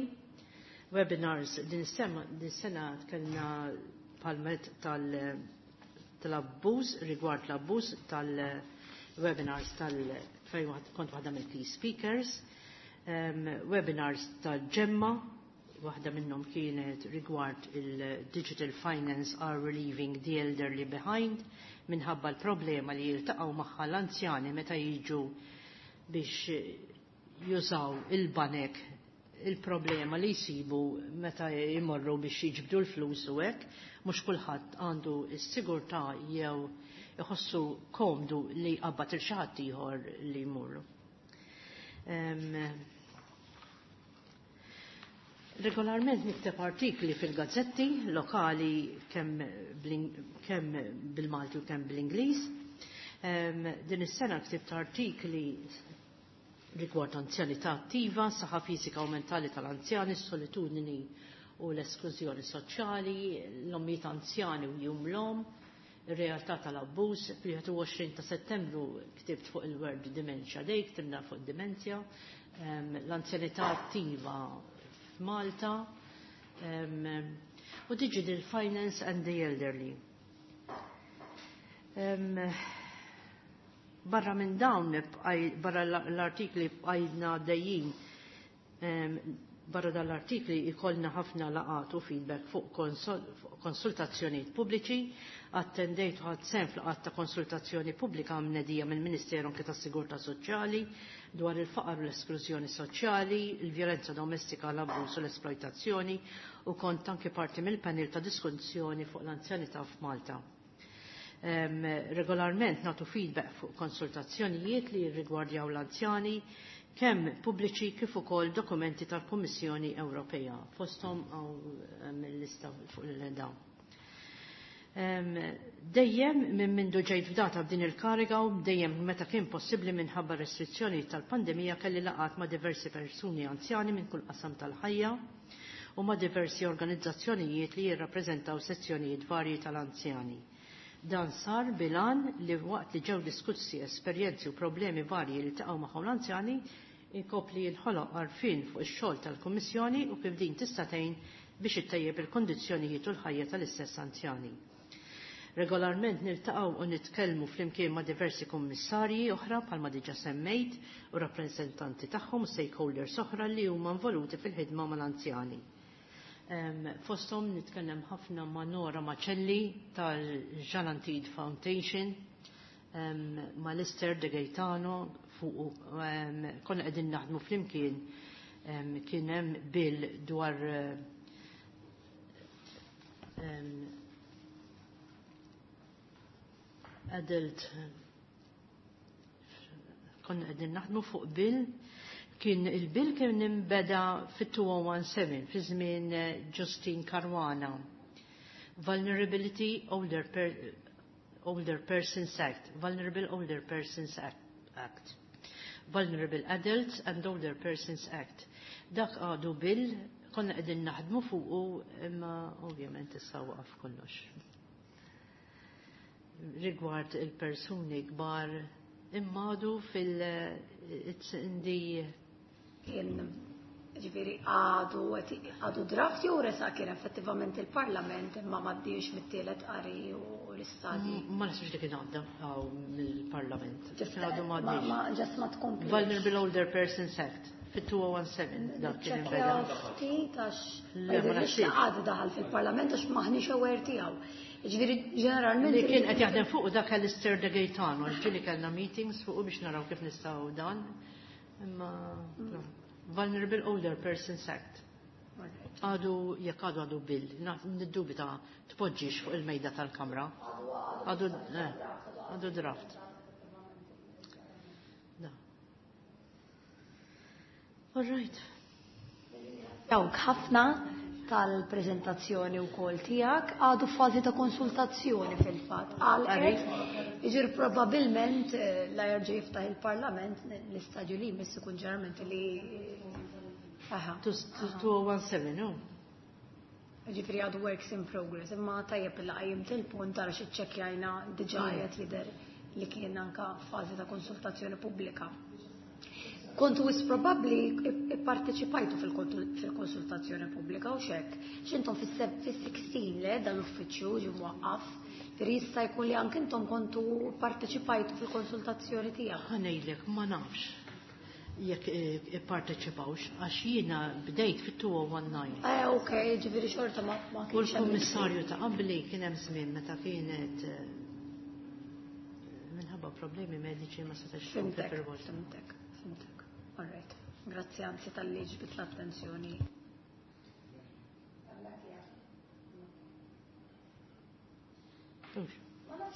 Webinars din is-sena kellna palmet tal-abbuż, rigward l-abbuż tal-webinars tal fejn kont waħda mill-key speakers, webinars tal-ġemma, waħda minnhom kienet rigward il-Digital Finance are Relieving the Elderly Behind, minħabba l-problema li jiltaqgħu magħha l-anzjani meta jiġu biex jużaw il-banek, il-problema li jsibu meta jmorru biex jiġbdu l-flus u hekk, mhux kulħadd għandu s-sigurtà jew iħossu komdu li jqabbad il xi ħadd ieħor li jmurru. Regolarment nikteb artikli fil-gazzetti lokali kemm bil-Malti u kemm bl-Ingliż. Din is-sena ktibt artikli rigward anzjanità attiva, saħħa fiżika u mentali tal-anzjani, solitudni u l-esklużjoni soċjali, l-ommijiet anzjani u jum l-om, ir-realtà tal-abbuż. Fil-21 ta' Settembru ktibt fuq il-World Dementia Day, ktibna fuq id-demenzja, l-anzjanità attiva f'Malta, u Digital Finance and the Elderly. Barra minn dawn, barra l-artikli bqajna dejjin, barra dal-artikli ikollna ħafna laqat u feedback fuq konsultazzjonijiet pubbliċi, attendejt u ħadt sehem f'laqat ta' konsultazzjoni pubblika mnedija mill-Ministeru anke tas-Sigurtà Soċjali dwar il-faqar u l-esklużjoni soċjali, il-vjolenza domestika, l-abbuż u l-esploitazzjoni, u kont anke parti mill-panel ta' diskussjoni fuq l-anzjanità f'Malta. Regolarment natu feedback fuq konsultazzjonijiet li jirrigwardjaw l-anzjani, kemm pubbliċi kif ukoll dokumenti tal-Kummissjoni Ewropea, fosthom hawn il-lista fuq il-dawn. Dejjem minn mindu ġejt fdata b'din il-kariga u dejjem meta kien possibbli minħabba restrizzjoni tal-pandemija kelli laqat ma' diversi persuni anzjani minn kull qasam tal-ħajja u ma' diversi organizzazzjonijiet li jirrappreżentaw sezzjonijiet varji tal-anzjani. Dan sar bilan li waqt li ġew diskussi esperjenzi u problemi varji li taqgħu magħhom l-anzjani, inkopli jinħoloq għarfien fuq ix-xogħol tal-Kummissjoni u kif din tista' tgħin biex ittejjeb il-kondizzjonijiet u l-ħajja tal-istess anzjani. Regolarment niltaqgħu u nitkellmu flimkien ma' diversi kummissarji oħra bħalma diġà semmejt u rappreżentanti tagħhom u stakeholders oħra li huma involuti fil-ħidma mal-anzjani. Fosthom nitkellem ħafna ma' Nora Macelli tal-Jalantid Foundation, ma' Lister De Gaetano, fuq konna qegħdin naħdmu flimkien, kien hemm bill dwar adult, konna qegħdin naħdmu fuq bill, kien il-bill kien imbeda fit-2017 fi żmien Justin Caruana. Vulnerability Older, per, Older Persons Act, Vulnerable Older Persons Act, Vulnerable Adults and Older Persons Act. Dak għadu bill konna qegħdin naħdmu fuqu, imma ovvjament issa waqaf kollox. Rigward il-persuni kbar imma għadu fil- it's in the Kien, ġifieri, għadu draft jew resa kien effettivament il-Parlament imma m'għaddiex mit-tielet qari u l-istadji? Ma nasibx li kien għadda mill-Parlament. Kien għadu Ma m'għaddiex. Ma ġast ma tkompli. Vulnerable Older Persons Act fit-2017 dak kien inbeda. Ftit għax Le, ma ma jidhirlix li naħsibx. għadu daħal fil-Parlament għax maħniex aware tiegħu. Ġifieri ġeneralment Li kien qed jaħdem fuq dak Alistair De Gaetano, ġieli kellna meetings fuq biex naraw kif nistgħu dan. Imma no. Vulnerable Older Persons Act. Alright. Għadu, jekk għadu għadu bill, niddubita tpoġġix fuq il-mejda tal-Kamra. Għadu, għadu draft. Da. All right. Dawk ħafna tal-prezentazzjoni u kol tijak għadu fazi ta' konsultazzjoni fil-fat. Għal iġir probabilment la jerġa' jiftaħ il-parlament l-istadju li jmiss ikun ġeneralment li. Aha. 2017, no? Ġifri għadu works in progress, imma tajjeb il qajjimt il-punt għara xi ċċekkjajna diġà qed jidher li kien anka fażi ta' konsultazzjoni pubblika. Kontu wis probabbli ipparteċipajtu fil-konsultazzjoni pubblika u xek. X'intom fis-16 le dan l-uffiċċju ġie mwaqqaf. Ġifieri jista' jkun li anke intom kontu parteċipajtu fil-konsultazzjoni tiegħek. Ħa ngħidlek, ma nafx jekk ipparteċipawx għax jiena bdejt fit-2019. Ok, ġifieri xorta ma U kienx hemm. l-kummissarju ta' qabli kien hemm żmien meta kienet minħabba problemi mediċi ma setax tkompli Fhimtek, fir-rwol. Fhimtek, fhimtek. All right. Grazzi anzi talli ġbidt l-attenzjoni. Ux.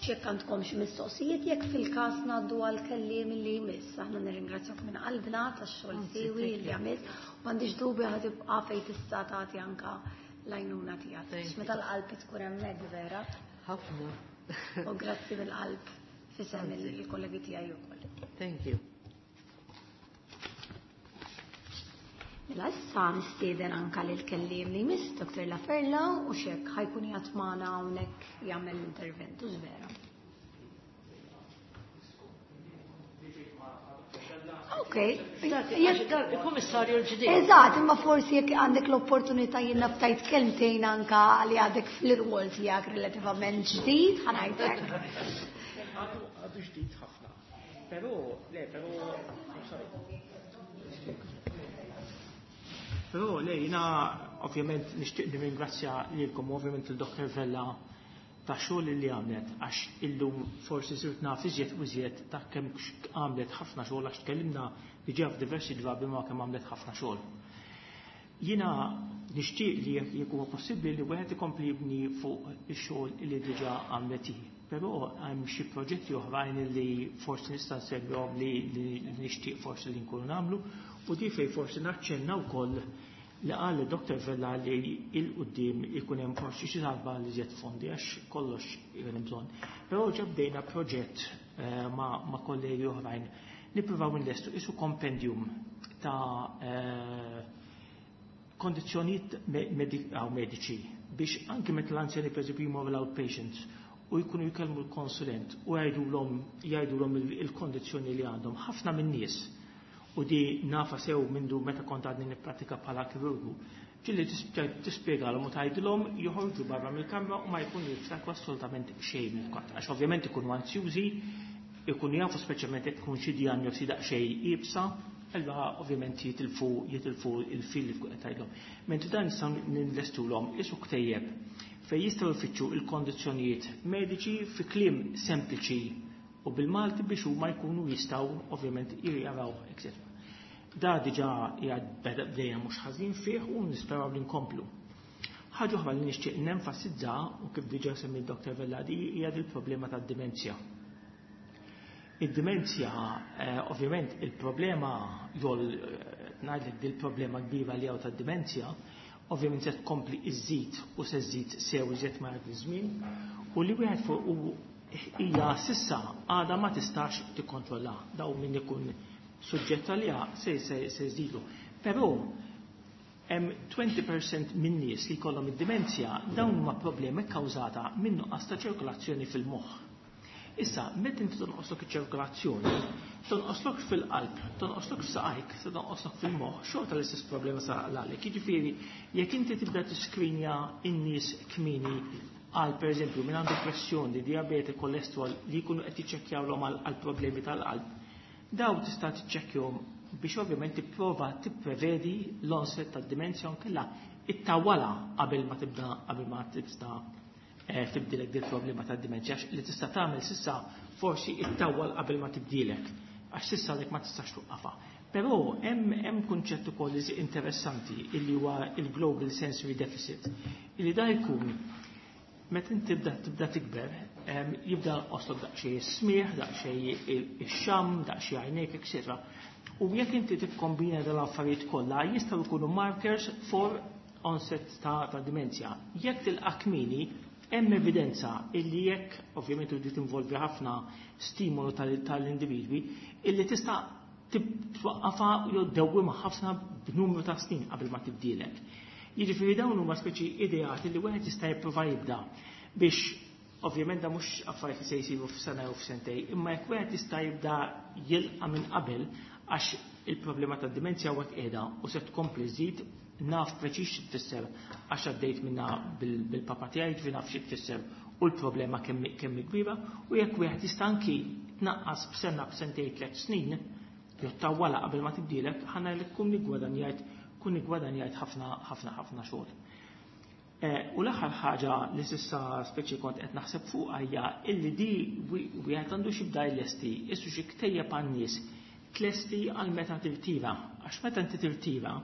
Jekk għandkom xi mistoqsijiet, jekk fil-każ ngħaddu għal kelliem li jmiss. Aħna nirringrazzjak minn qalbna tax-xogħol Anzi, siewi thank li you. għamilt. M'għandix dubju ħa tibqa' fejn tista' tagħti anka l-għajnuna tiegħek. Thank you. Meta l-qalb tkun hemmhekk vera. Ħafna. U grazzi mill-qalb fisem Anzi. il-kollegi tiegħi wkoll. Thank you. Mela issa nistieden anka lil kelliem li jmiss, Dr. Laferla, u xek ħa jkun qiegħed magħna hawnhekk jagħmel l-intervent, u vera. Ok. Il-Kummissarju l-ġdid. Eżatt, imma forsi jekk għandek l-opportunità jiena ftajt kelmtejn anka li għadek fl-irwol tiegħek relattivament ġdid, ħa ngħidlek. Għadu ġdid ħafna. Però, le, però, sorry. Però, le, jiena ovvjament nixtieq nirringrazzja lilkom ovvjament il-Dr. Vella ta' xogħol li għamlet, għax illum forsi sirt naf iżjed u iżjed ta' kemm għamlet ħafna xogħol, għax tkellimna diġà f'diversi drabi ma' kemm għamlet ħafna xogħol. Jiena nixtieq li jekk huwa possibbli li wieħed ikompli jibni fuq ix-xogħol li diġà għamlet hi. Però hemm xi proġetti oħrajn li forsi nista' nsemmihom li nixtieq forsi li nkunu nagħmlu, u di fejn forsi naċċenna wkoll li qal Dr. Vella li il-qudiem ikun hemm forsi xi talba li żjed fondi għax kollox ikun hemm bżonn. Però ġa bdejna proġett ma' kollegi oħrajn nippruvaw nlestu isu kompendium ta' kondizzjonijiet mediċi biex anke meta l-anzjani pereżempju jmorru l-outpatients u jkunu jkellmu l-konsulent u jgħidulhom il-kondizzjoni li għandhom. Ħafna min-nies, u di nafa sew mindu meta kont għadni nippratika bħala kirurgu, ġilli tispjegalhom u tgħidilhom joħorġu barra mill-kamra u ma jkunu jiftakru assolutament xejn mill-kont. Għax ovvjament ikunu anzjużi, ikunu jafu speċjalment jekk tkun xi diagnosi daqsxejn iebsa, allura ovvjament jitilfu il-fil li tkun qed tgħidilhom. Mentri dan nistgħu ninvestulhom isu ktejjeb fejn jistgħu jfittxu il-kondizzjonijiet mediċi fi kliem sempliċi u bil-Malti biex huma jkunu jistgħu ovvjament jaraw, eccetera. Da diġà qiegħed bdejna mhux ħażin fih u nisperaw li nkomplu. Ħaġa oħra li nixtieq nenfasizza u kif diġà semmi d-Dr. Vella di hija il-problema tad-dimenzja. Id-dimenzja, ovvjament il-problema jol ngħidlek dil-problema kbira li hawn tad-dimenzja, ovvjament se tkompli iżżid u se żżid sew iżjed ma jgħaddi żmien, u li wieħed fuq u hija sissa għadha ma tistax tikkontrolla daw min ikun suġġett għaliha se jżidu. Però hemm 20% minn nies li jkollhom id-dimenzja dawn huma problemi kkawżata minn nuqqas ta' ċirkolazzjoni fil-moħħ. Issa, meta inti tonqoslok iċ-ċirkolazzjoni, tonqoslok fil-qalb, tonqoslok f'saqajk, se tonqoslok fil-moħħ, xorta l-istess problema sa għalek. Jiġifieri, jekk inti tibda tiskrinja n-nies kmieni għal pereżempju minn għandu pressjoni, diabete, kolesterol li jkunu qed jiċċekkjawlhom għal problemi tal-qalb, daw tista' tiċċekkjahom biex ovvjament tipprova tipprevedi l-onset tad-dimensja nkella ittawala qabel ma tibda, qabel ma tibda tibdilek dil problema tad-dimensja, għax li tista' tagħmel sissa forsi ittawal qabel ma tibdilek, għax sissa dik ma tistax tuqqafa. Però hemm kunċett ukoll interessanti illi huwa il-Global Sensory Deficit, illi da jkun meta inti tibda tikber, jibda oslok daqsxejn is-smigħ, daqsxejn ix-xamm, daqsxejn għajnejk, etc. U jekk inti tikkombina dal-affarijiet kollha jistgħu jkunu markers for onset ta' dimenzja. Jekk tilqa' kmieni, hemm evidenza illi jekk, ovvjament u tinvolvi ħafna stimolu tal-individwi, illi tista' twaqqafha jew ddewwimha ħafna b'numru ta' snin qabel ma tibdielek. Jiġifieri dawn huma speċi ideati li wieħed jista' jipprova jibda biex, ovvjament da mhux affarijiet li se jsiru f'sena jew f'sentej, imma jekk wieħed jista' jibda jilqa' minn qabel, għax il-problema tad-dimenzja huwa qiegħda u se tkompli żżid, naf preċiż xi tfisser għax għaddejt minnha bil-papa tiegħi, ġifieri naf xi tfisser u l-problema kemm hi kbira, u jekk wieħed jista' anki tnaqqas b'sena, b'sentej, 3 snin, jew tawwala qabel ma tibdielek, ħa ngħidlek kun iggwadanjajt ħafna, ħafna, ħafna xogħol. U l-aħħar ħaġa li s'issa speċi kont qed naħseb fuqha hija illi di wieħed għandu xi bda jlesti, issu xi ktejjeb għan-nies tlesti għal meta tirtira. Għax meta inti tirtira,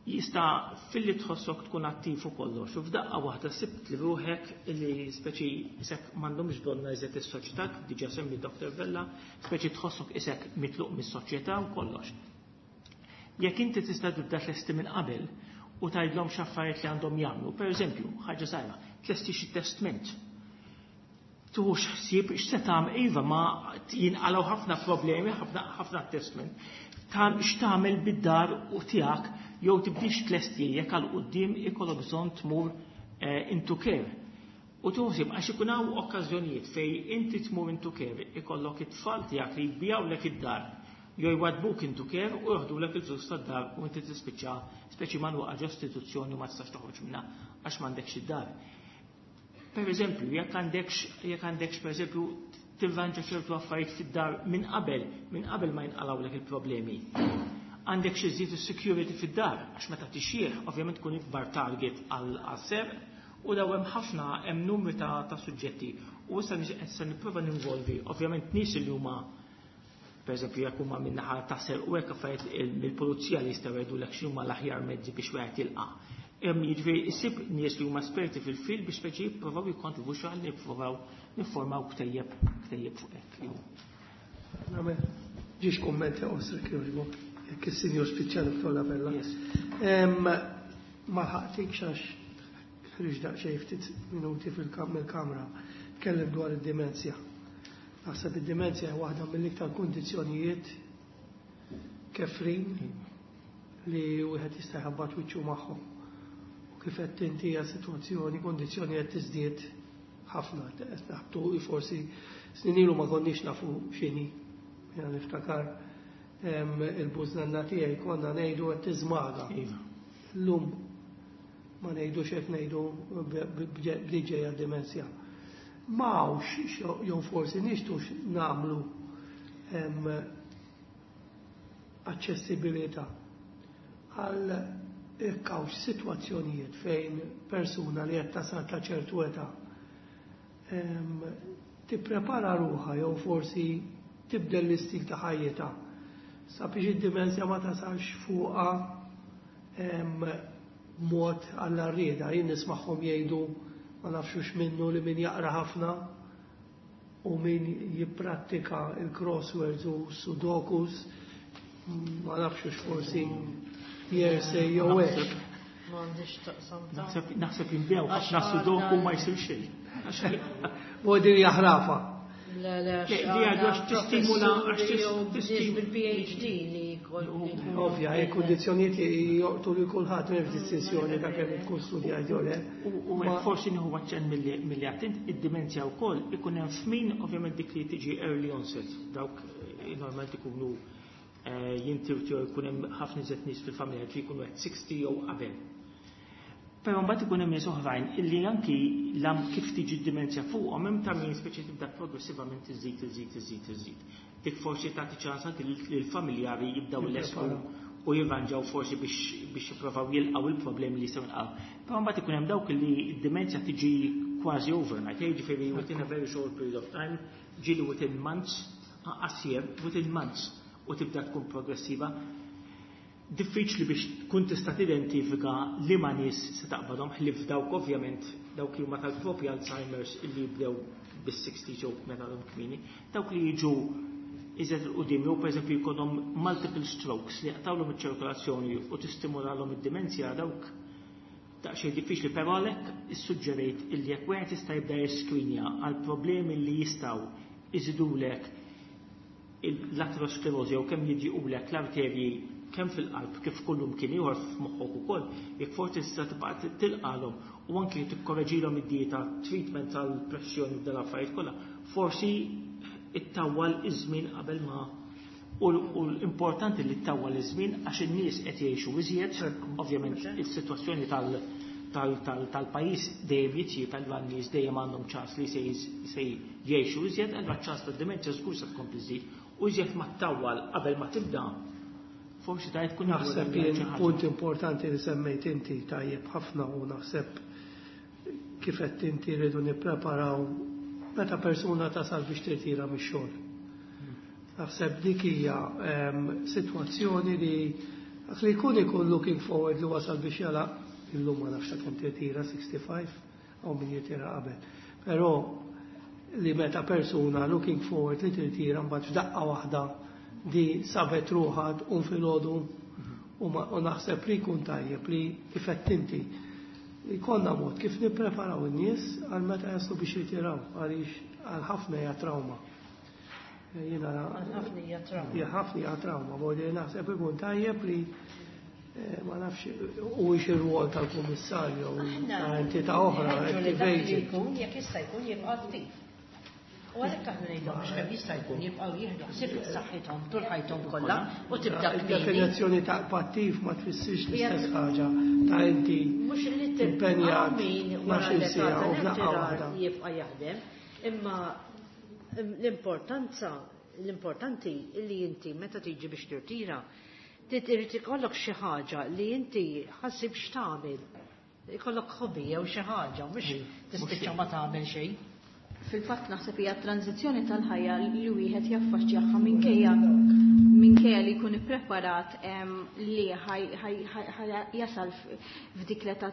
jista' filli tħossok tkun attiv u kollox, u f'daqqa waħda sibt li ruħek illi speċi isek m'għandhomx bżonna iżjed is-soċjetà, kif diġà semmi Dr. Vella, speċi tħossok isek mitluq mis-soċjetà u kollox. Jekk inti tista' tibda tlesti minn qabel u tgħidlhom x'affarijiet li għandhom jagħmlu, pereżempju, ħaġa żgħira, tlesti xi testment. Tuħux ħsieb x'se tagħmel, iva ma jinqalgħu ħafna problemi, ħafna, ħafna testment. X'tagħmel bid-dar u tiegħek jew tibdix tlesti jekk għal quddiem ikollok bżonn tmur into care. U tuħsib għax ikun hawn okkażjonijiet fejn inti tmur into care, ikollok it-tfal tiegħek li jbijawlek id-dar jew jwadbuk into care u joħdulek il-flus tad-dar u inti tispiċċa speċi magħluqa ġo istituzzjoni u ma tistax toħroġ minnha għax m'għandekx id-dar. Per eżempju, jekk għandekx per eżempju tirranġa ċertu affarijiet fid-dar minn qabel ma jinqalgħulek il-problemi. Għandek xi żżid is-security fid-dar, għax meta tixjieħ ovvjament tkun ikbar target għal serq u daw hemm ħafna, hemm numri ta' suġġetti. U issa issa nipprova ninvolvi ovvjament nies li huma per eżempju jekk huma minn naħa ta' serq u hekk affarijiet mill-pulizija li jistgħu jgħidulek x'huma l-aħjar mezzi biex wieħed jilqa'. Jiġifieri issib nies li huma esperti fil-fil biex speċi jippruvaw jikkontribwixxu għal nippruvaw niffurmaw ktejjeb fuq hekk. Nagħmel ġiex kummenti qosra kif jekk is-sinjur spiċċa Dottor La Vella. Yes. Ma ħaqtikx għax ħriġ daqsxejn ftit minuti mill-kamra. Tkellem dwar id-dimenzja. Naħseb id-dimenzja hija waħda mill-iktar kundizzjonijiet kefrin li wieħed jista' jħabbat wiċċu magħhom. U kif qed inti hija sitwazzjoni, kundizzjoni qed tiżdied ħafna, qed naħbtu forsi snin ilu ma konniex nafu x'inhi. Jiena niftakar il-bużnanna tiegħi konna ngħidu qed tiżmaga. Llum ma ngħidux hekk, ngħidu b'diġejja dimensja. Ma hawnx jew forsi nixtux nagħmlu aċċessibilità għal jekk hawnx sitwazzjonijiet fejn persuna li qed tasal ta' ċertu età tipprepara ruħha jew forsi tibdel l-istil ta' ħajjitha sabiex id-dimensja ma tasalx fuqha mod għall-arrieda. Jien nismagħhom jgħidu ma nafxux minnu li min jaqra ħafna u min jipprattika il-crosswords u sudokus, ma nafxux forsi jersej jew hekk. M'għandix taqsam ta' Naħseb jinbiegħu Għax ħafna sudoku għandna ma jsir xejn. U din hija ħrafa. Le, le, għax Le, li għadu għax għandna tistimula, għax professuri jew tistimula. nies bil-PhD li jkoll jkunu Ovvja, hekk kundizzjonijiet li joqtu lil kulħadd m'hemmx distinzjoni ta' kemm tkun studjat jew le. U hekk forsi nieħu aċċenn milli attent id-dimenzja wkoll ikun hemm f'min ovvjament dik li tiġi early onset, dawk normalment ikunu jintirtu jew ikun hemm ħafna iżjed nies fil-familja li jkunu qed 60 jew qabel. Però mbagħad ikun hemm nies oħrajn illi anki lam kif tiġi d-dimenzja fuqhom hemm ta' min speċi tibda progressivament iżid, iżid, iżid, iżid. Dik forsi tagħti ċans anki lill-familjari jibdew ilesku u jirranġaw forsi biex jippruvaw jilqgħu il-problemi li jistgħu jinqalgħu. Però mbagħad ikun hemm dawk li d-dimenzja tiġi kważi overnight, jiġifieri within a very short period of time, ġieli within months, anqas year, within months. u tibda tkun progressiva. Diffiċli biex tkun tista' tidentifika liema nies se taqbadhom, ħlief dawk ovvjament dawk li huma tal-propja Alzheimer's illi jibdew bis-60 jew meta għadhom kmieni, dawk li jiġu iżjed 'il quddiem jew pereżempju jkollhom multiple strokes li jaqtgħulhom iċ-ċirkolazzjoni u tistimulalhom id-dimenzja, dawk daqsxejn diffiċli, però għalhekk issuġġerejt illi jekk wieħed jista' jibda jiskrinja għal problemi li jistgħu iżidulek l-aterosklerożi jew kemm jidjiqulek l-arterji kemm fil-qalb kif kullum kien ieħor f'moħħok ukoll, jekk forsi tista' tibqa' tilqalhom u anki tikkoreġilhom id-dieta, treatment tal-pressjoni, f'dan l-affarijiet kollha, forsi ittawwal iż-żmien qabel ma, u l-importanti li ttawwal iż-żmien għax in-nies qed jgħixu iżjed, ovvjament is-sitwazzjoni tal-pajjiż dejjem jitjieb, allura n-nies dejjem għandhom ċans li se jgħixu iżjed, allura ċans tad-dimenzja żgur se tkompli żżid. U iżjed ma ttawwal qabel ma tibda, forsi tajt tkun Naħseb jien punt importanti li semmejt inti tajjeb ħafna u naħseb kif qed inti rridu nippreparaw meta persuna tasal biex tirtira mix-xogħol. Naħseb dik hija sitwazzjoni li dak li jkun ikun looking forward li wasal biex jalaq illum, ma nafx kemm tirtira, 65 jew min jirtira qabel. Però li meta persuna looking forward li tirtira, mbagħad f'daqqa waħda di sabet ruħha tqum filgħodu u naħseb li jkun tajjeb li kif qed inti jkollna mod kif nippreparaw in-nies għal meta jaslu biex jirtiraw, għaliex għal ħafna hija trauma. Jiena Għal ħafna hija trauma. Hija ħafna hija trauma, voglio naħseb ikun tajjeb li ma nafx u ir-rwol tal-kummissarju Aħna ta' entità oħra, nħeġġu li dak li activated. jkun, jekk jista' jkun, jibqa' attiv. U għalhekk aħna ngħidhom biex kemm jista' jkun jibqgħu jieħdu ħsieb saħħithom tul ħajthom kollha u tibda kmieni. Il-definizzjoni ta' pattiv ma tfissirx l-istess ħaġa ta' inti Mhux li impenjat min wara 12 l-età siegħa u f'daqqa tal-irtirar waħda. jibqa' jaħdem, imma l-importanza l-importanti li inti meta tiġi biex tirtira trid ikollok xi ħaġa li inti ħassib x'tagħmel. Ikollok hobby jew xi ħaġa, mhux tispiċċa ma tagħmel xejn. Fil-fatt naħseb hija tranzizzjoni tal-ħajja li wieħed jaffaċċjaha minkejja li jkun ippreparat li jasal f'dik l-età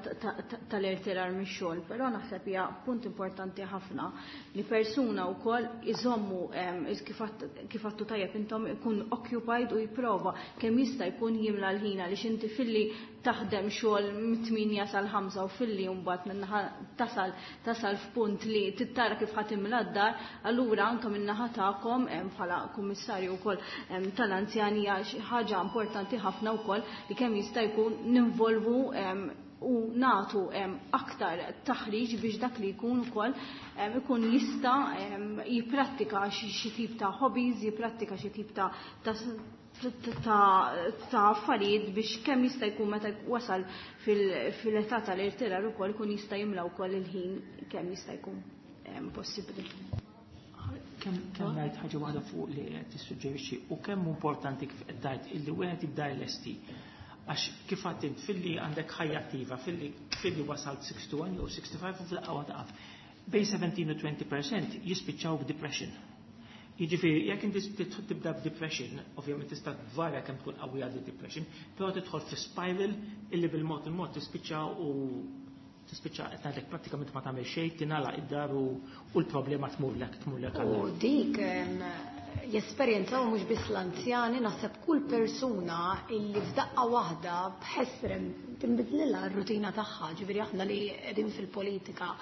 tal-irtirar mix-xogħol, però naħseb hija punt importanti ħafna li persuna wkoll iżommu kif għattu tajjeb intom, ikun occupied u jipprova kemm jista' jkun jimla l-ħin, għaliex inti filli taħdem xogħol mit-8 sal-5 u filli mbagħad minnaħa tasal f'punt li tittara kif ħa timla d-dar, allura anke min-naħa tagħkom bħala kummissarju wkoll tal-anzjani hija xi ħaġa importanti ħafna wkoll li kemm jista' jkun ninvolvu u natu aktar taħriġ biex dak li jkun ukoll ikun jista' jipprattika xi tip ta' hobbies, jipprattika xi tip ta' affarijiet biex kemm jista' jkun meta wasal fil-età tal-irtirar ukoll ikun jista' jimla wkoll il-ħin kemm jista' jkun possibbli. Kemm ngħid ħaġa waħda fuq li qed tissuġġerixxi u kemm importanti kif qed tgħid illi wieħed jibda jlesti. Għax kif għedt int, filli għandek ħajja attiva, filli wasalt 61 jew 65 u fil-qawwa taqaf. Bejn 17 u 20% jispiċċaw b'depression. Jiġifieri, jekk inti tibda b'depression, ovvjament tista' tvarja kemm tkun qawwija di depression, però tidħol fi spiral illi bil-mod il-mod tispiċċa u tispiċċa qed ngħidlek prattikament ma tagħmel xejn, tingħalaq id-dar u l-problema tmurlek U għal. dik jesperjenzaw mhux biss l-anzjani, naħseb kull persuna illi f'daqqa waħda b'ħesrem tinbidlilha r-rutina tagħha, ġifieri aħna li qegħdin fil-politika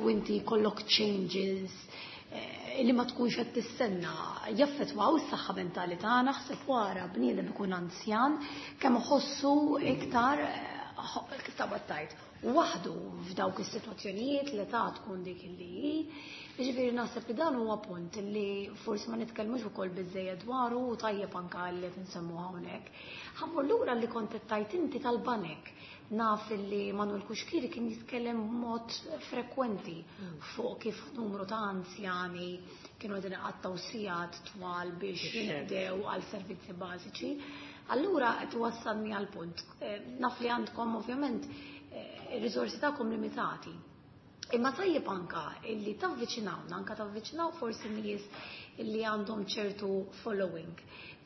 u inti jkollok changes li ma tkunx qed tistenna jaffettwaw is-saħħa mentali tagħna, naħseb wara bniedem ikun anzjan kemm iħossu iktar kif taqbad tgħid waħdu f'dawk is-sitwazzjonijiet, l-età tkun dik li hi. Jiġifieri naħseb li dan huwa punt li forsi ma nitkellmux ukoll biżejjed dwaru u tajjeb anke li qed insemmu hawnhekk. Ħa mmur lura li kont qed tgħid inti tal-banek. Naf li Manuel Cuschieri kien jitkellem b'mod frekwenti fuq kif numru ta' anzjani kienu qegħdin iqattgħu sigħat twal biex jinqdew għal servizzi bażiċi. Allura qed wassalni għal punt. Naf li għandkom ovvjament ir-riżorsi tagħkom limitati. Imma tajjeb anka illi tavviċinawna, anka tavviċinaw forsi nies illi għandhom ċertu following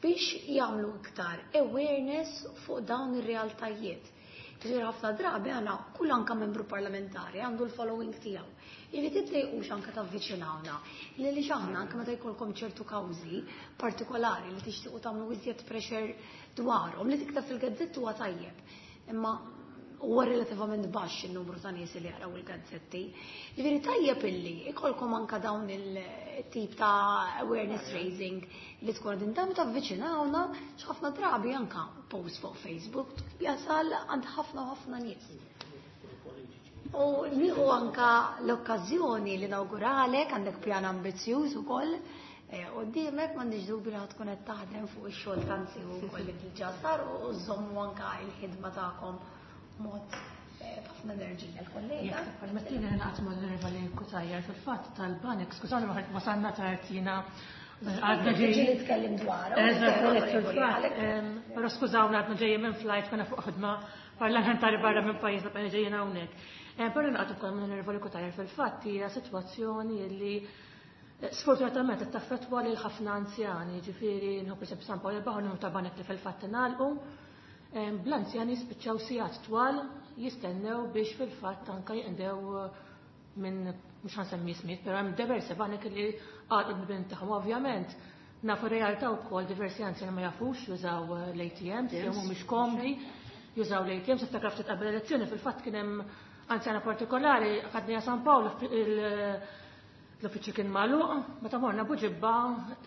biex jagħmlu iktar awareness fuq dawn ir-realtajiet. Ġifieri ħafna drabi għana kull anka membru parlamentari għandu l-following tiegħu. Jiġifieri tiddejqux anka tavviċinawna. Li li aħna anke meta jkollkom ċertu kawżi partikolari li tixtiequ tagħmlu iżjed pressure dwarhom li tikteb fil-gazzett huwa tajjeb. Imma huwa relativament baxx in-numru ta' nies li jaqraw il-gazzetti. Ġifieri tajjeb illi ikolkom anka dawn il-tip ta' awareness raising li tkun qegħdin tagħmlu tavviċinawna x'ħafna drabi anka post fuq Facebook jasal għand ħafna u ħafna nies. U nieħu anka l-okkażjoni li nawguralek għandek pjan ambizzjuż ukoll Quddiemek m'għandix dubju li tkun qed taħdem fuq ix-xogħol tanzi wkoll li diġà sar u żommu anka l-ħidma tagħkom mod b'ħafna enerġija l-kollega. Permettili naqgħod mal-Onorevoli Cutajar fil-fatt tal-banek, skużawni ma wasalna tard jiena għadna ġejjin. Nitkellem dwar. Eżatt, però skużawna għadna ġejjin minn flight konna fuq ħidma parlamentari barra minn pajjiżna bqajna ġejjin hawnhekk. Però naqgħod ukoll mal-Onorevoli Cutajar fil-fatt hija sitwazzjoni li sfortunatament qed taffettwa lil ħafna anzjani, ġifieri nħobb pereżempju San Pawl il-Baħar numru ta' banek li fil-fatt ingħalqu. Bl-anzjani jispiċċaw sigħat twal jistennew biex fil-fatt anke jinqdew minn mhux ħansemmi ismijiet, però hemm diversi banek li għalqu l-bibien tagħhom. Ovvjament nafu realtà wkoll diversi anzjani ma jafux jużaw l-ATMs, jew mhumiex komdi jużaw l-ATMs, niftakar ftit qabel elezzjoni fil-fatt kien hemm anzjana partikolari ħadniha San Pawl l-uffiċċju kien magħluq, meta morna Buġibba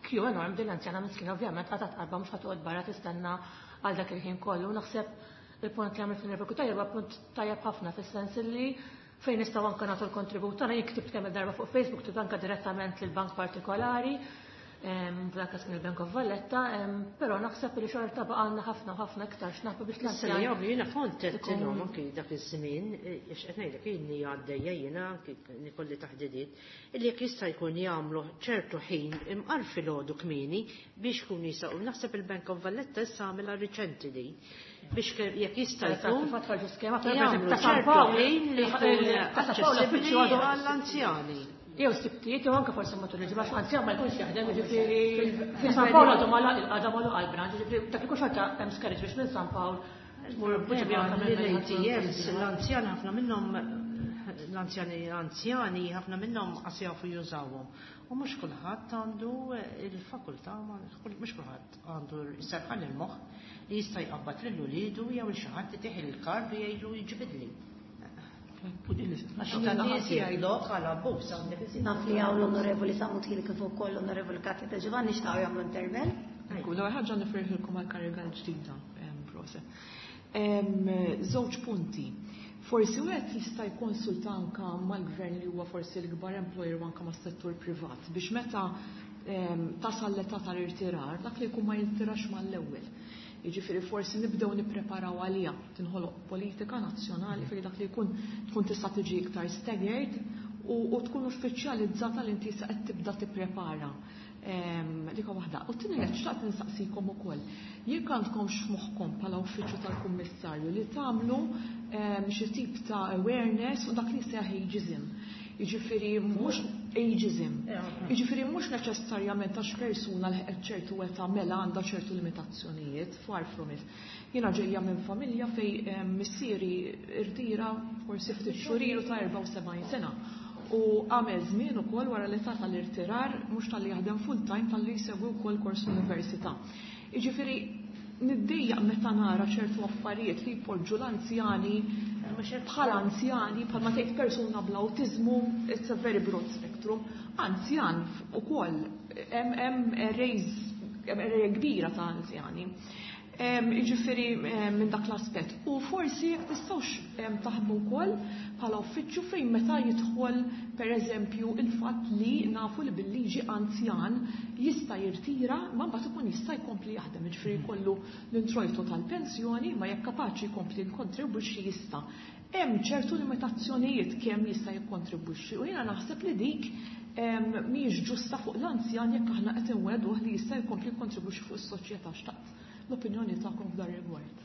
kju enorm din l-anzjana miskina ovvjament qatgħet qalbha mhux ħa barra tistenna għal dak il-ħin kollu. Naħseb il-punt li għamilt fil tajjeb huwa punt tajjeb ħafna fis-sens li fejn nistgħu anke nagħtu l-kontribut tagħna jien ktibt kemm il-darba fuq Facebook, ktibt anke direttament lil bank partikolari, f'dak każ kien il-Bank of Valletta, però naħseb li xorta baqgħalna ħafna ħafna iktar x'naħbu biex Issa li jagħmlu jiena kont għedtilhom anki dak iż-żmien, għax qed ngħidlek ilni għaddejja jiena anki nikolli taħdidiet, illi jekk jista' jkun jagħmlu ċertu ħin imqar filgħodu kmieni biex jkunu jistgħu. Naħseb il-Bank of Valletta issa għamilha riċenti din biex jekk jista' jkun jagħmlu ċertu ħin li jkun aċċessibbli għall-anzjani. Jew sibtijiet jew anke forsi matul il-ġimgħa għax anzjan ma jkunx jaħdem, jiġifieri fi San Pawl għadu magħluq il-qagħda magħluq għall-branch, jiġifieri dak ikun xorta hemm skerriġ biex minn San Pawl tmur Buġibja anke minn L-ATMs, l-anzjan ħafna minnhom l-anzjani anzjani ħafna minnhom qas jafu jużawhom. U mhux kulħadd għandu il-fakultà, mhux kulħadd għandu s-serħan il-moħħ li jista' jqabbad lil uliedu jew il xi ħadd itih il-kard u jgħidlu jiġbidli. Naf li hawn l-Onorevoli Sammut Hill kif ukoll l-Onorevoli Katja De Giovanni xtaqgħu jagħmlu intervent. Ekku, l-ewwel ħaġa nifirħilkom għall-kariga l-ġdida, proset. Żewġ punti. Forsi wieħed jista' jikkonsulta anka mal-gvern li huwa forsi l-ikbar employer u anka mas-settur privat biex meta tasal l-età tal-irtirar dak li jkun ma jirtirax mal-ewwel. Jiġifieri forsi nibdew nippreparaw għaliha, tinħoloq politika nazzjonali fejn dak li jkun tkun tista' tiġi iktar staggered u tkun uffiċjalizzata li inti qed tibda tipprepara. Dik waħda. U t-tieni qed xtaqt nistaqsikom ukoll. Jekk għandkomx f'moħħkom bħala uffiċċju tal-kummissarju li tagħmlu xi tip ta' awareness u dak li seħ ageism. Jiġifieri mhux ageism. Jiġifieri mhux neċessarjament għax persuna li ċertu età mela għandha ċertu limitazzjonijiet, far from it. Jiena ġejja minn familja fej missieri irtira forsi ftit xhur ilu ta' 74 sena. U għamel żmien ukoll wara l-età tal-irtirar mhux talli jaħdem full time talli jsegwi wkoll kors università. Jiġifieri niddejjaq meta nara ċertu affarijiet li jpoġġu l-anzjani bħala anzjani, bħal ma tgħid persuna bl-awtiżmu, it's a very broad spectrum. Anzjan ukoll hemm arrays hemm kbira ta' anzjani. Jiġifieri minn dak l-aspett. U forsi jekk tistgħux taħdmu wkoll bħala uffiċċju fejn meta jidħol pereżempju il-fatt li nafu li bil-liġi anzjan jista' jirtira ma mbagħad ikun jista' jkompli jaħdem, jiġifieri jkollu l-introjtu tal-pensjoni ma jekk kapaċi jkompli jikkontribwixxi jista'. Hemm ċertu limitazzjonijiet kemm jista' jikkontribwixxi u jiena naħseb li dik mhijiex ġusta fuq l-anzjan jekk aħna qed inwegħduh li jista' jkompli jikkontribwixxi fuq is-soċjetà. Xtaqt l-opinjoni tagħkom f'dan rigward.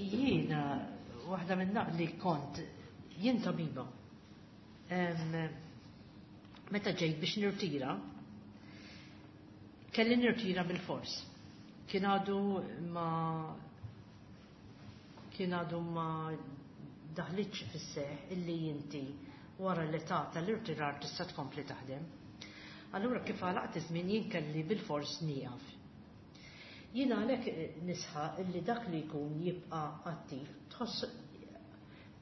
Jiena waħda minn naqli kont jien tabiba. Meta ġejt biex nirtira, kelli nirtira bil-fors. Kien għadu ma kien għadu ma daħlitx fis-seħ illi inti wara l-età tal-irtirar tista' tkompli taħdem. Allura kif għalaqt iż-żmien jien kelli bil-fors nieqaf. Jien għalhekk nisħaq illi dak li jkun jibqa' attiv tħoss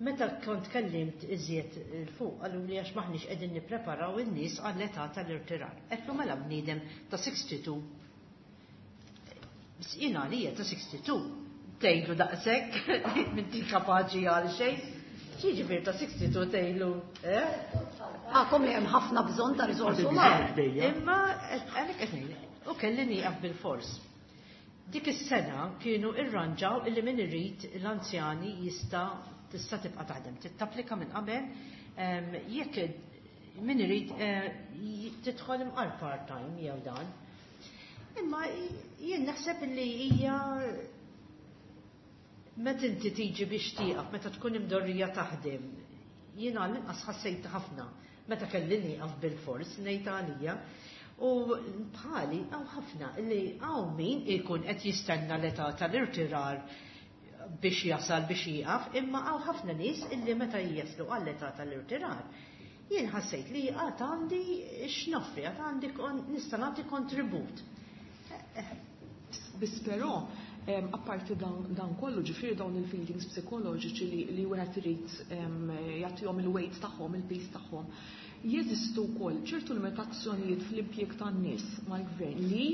meta kont kellimt iżjed 'il fuq qaluli għax m'aħniex qegħdin nippreparaw in-nies għall-età tal-irtirar. Għedtlu mela bniedem ta' 62 Biss jien għalija ta' 62 tgħidlu daqshekk m'inti kapaċi għal xejn. X'jiġifieri ta' 62 tgħidlu, eh? Għakom li hemm ħafna bżonn ta' riżorsi umani. Imma għalhekk qed ngħid, u kelli nieqaf bil-fors. Dik is-sena kienu irranġaw illi min irid l-anzjani jista' tista' tibqa' taħdem. Titapplika minn qabel jekk min irid tidħol imqar part-time jew dan. Imma jien naħseb illi hija meta inti tiġi biex tieqaf, meta tkun imdorrija taħdem, jien għall-inqas ħassejt ħafna meta kelli nieqaf bil-fors ngħid għalija. U bħali hawn ħafna li hawn min ikun qed jistenna l-età tal-irtirar biex jasal biex jieqaf, imma hawn ħafna nies illi meta jaslu għall-età tal-irtirar, jien ħassejt li għad għandi x'noffri, għad għandi nista' nagħti kontribut. Biss però, apparti dan kollu, ġifieri dawn il-feelings psikoloġiċi li wieħed irid jagħtihom il-weight tagħhom, il-piż tagħhom, jeżistu wkoll ċertu limitazzjonijiet fl-impjieg tan-nies mal-gvern li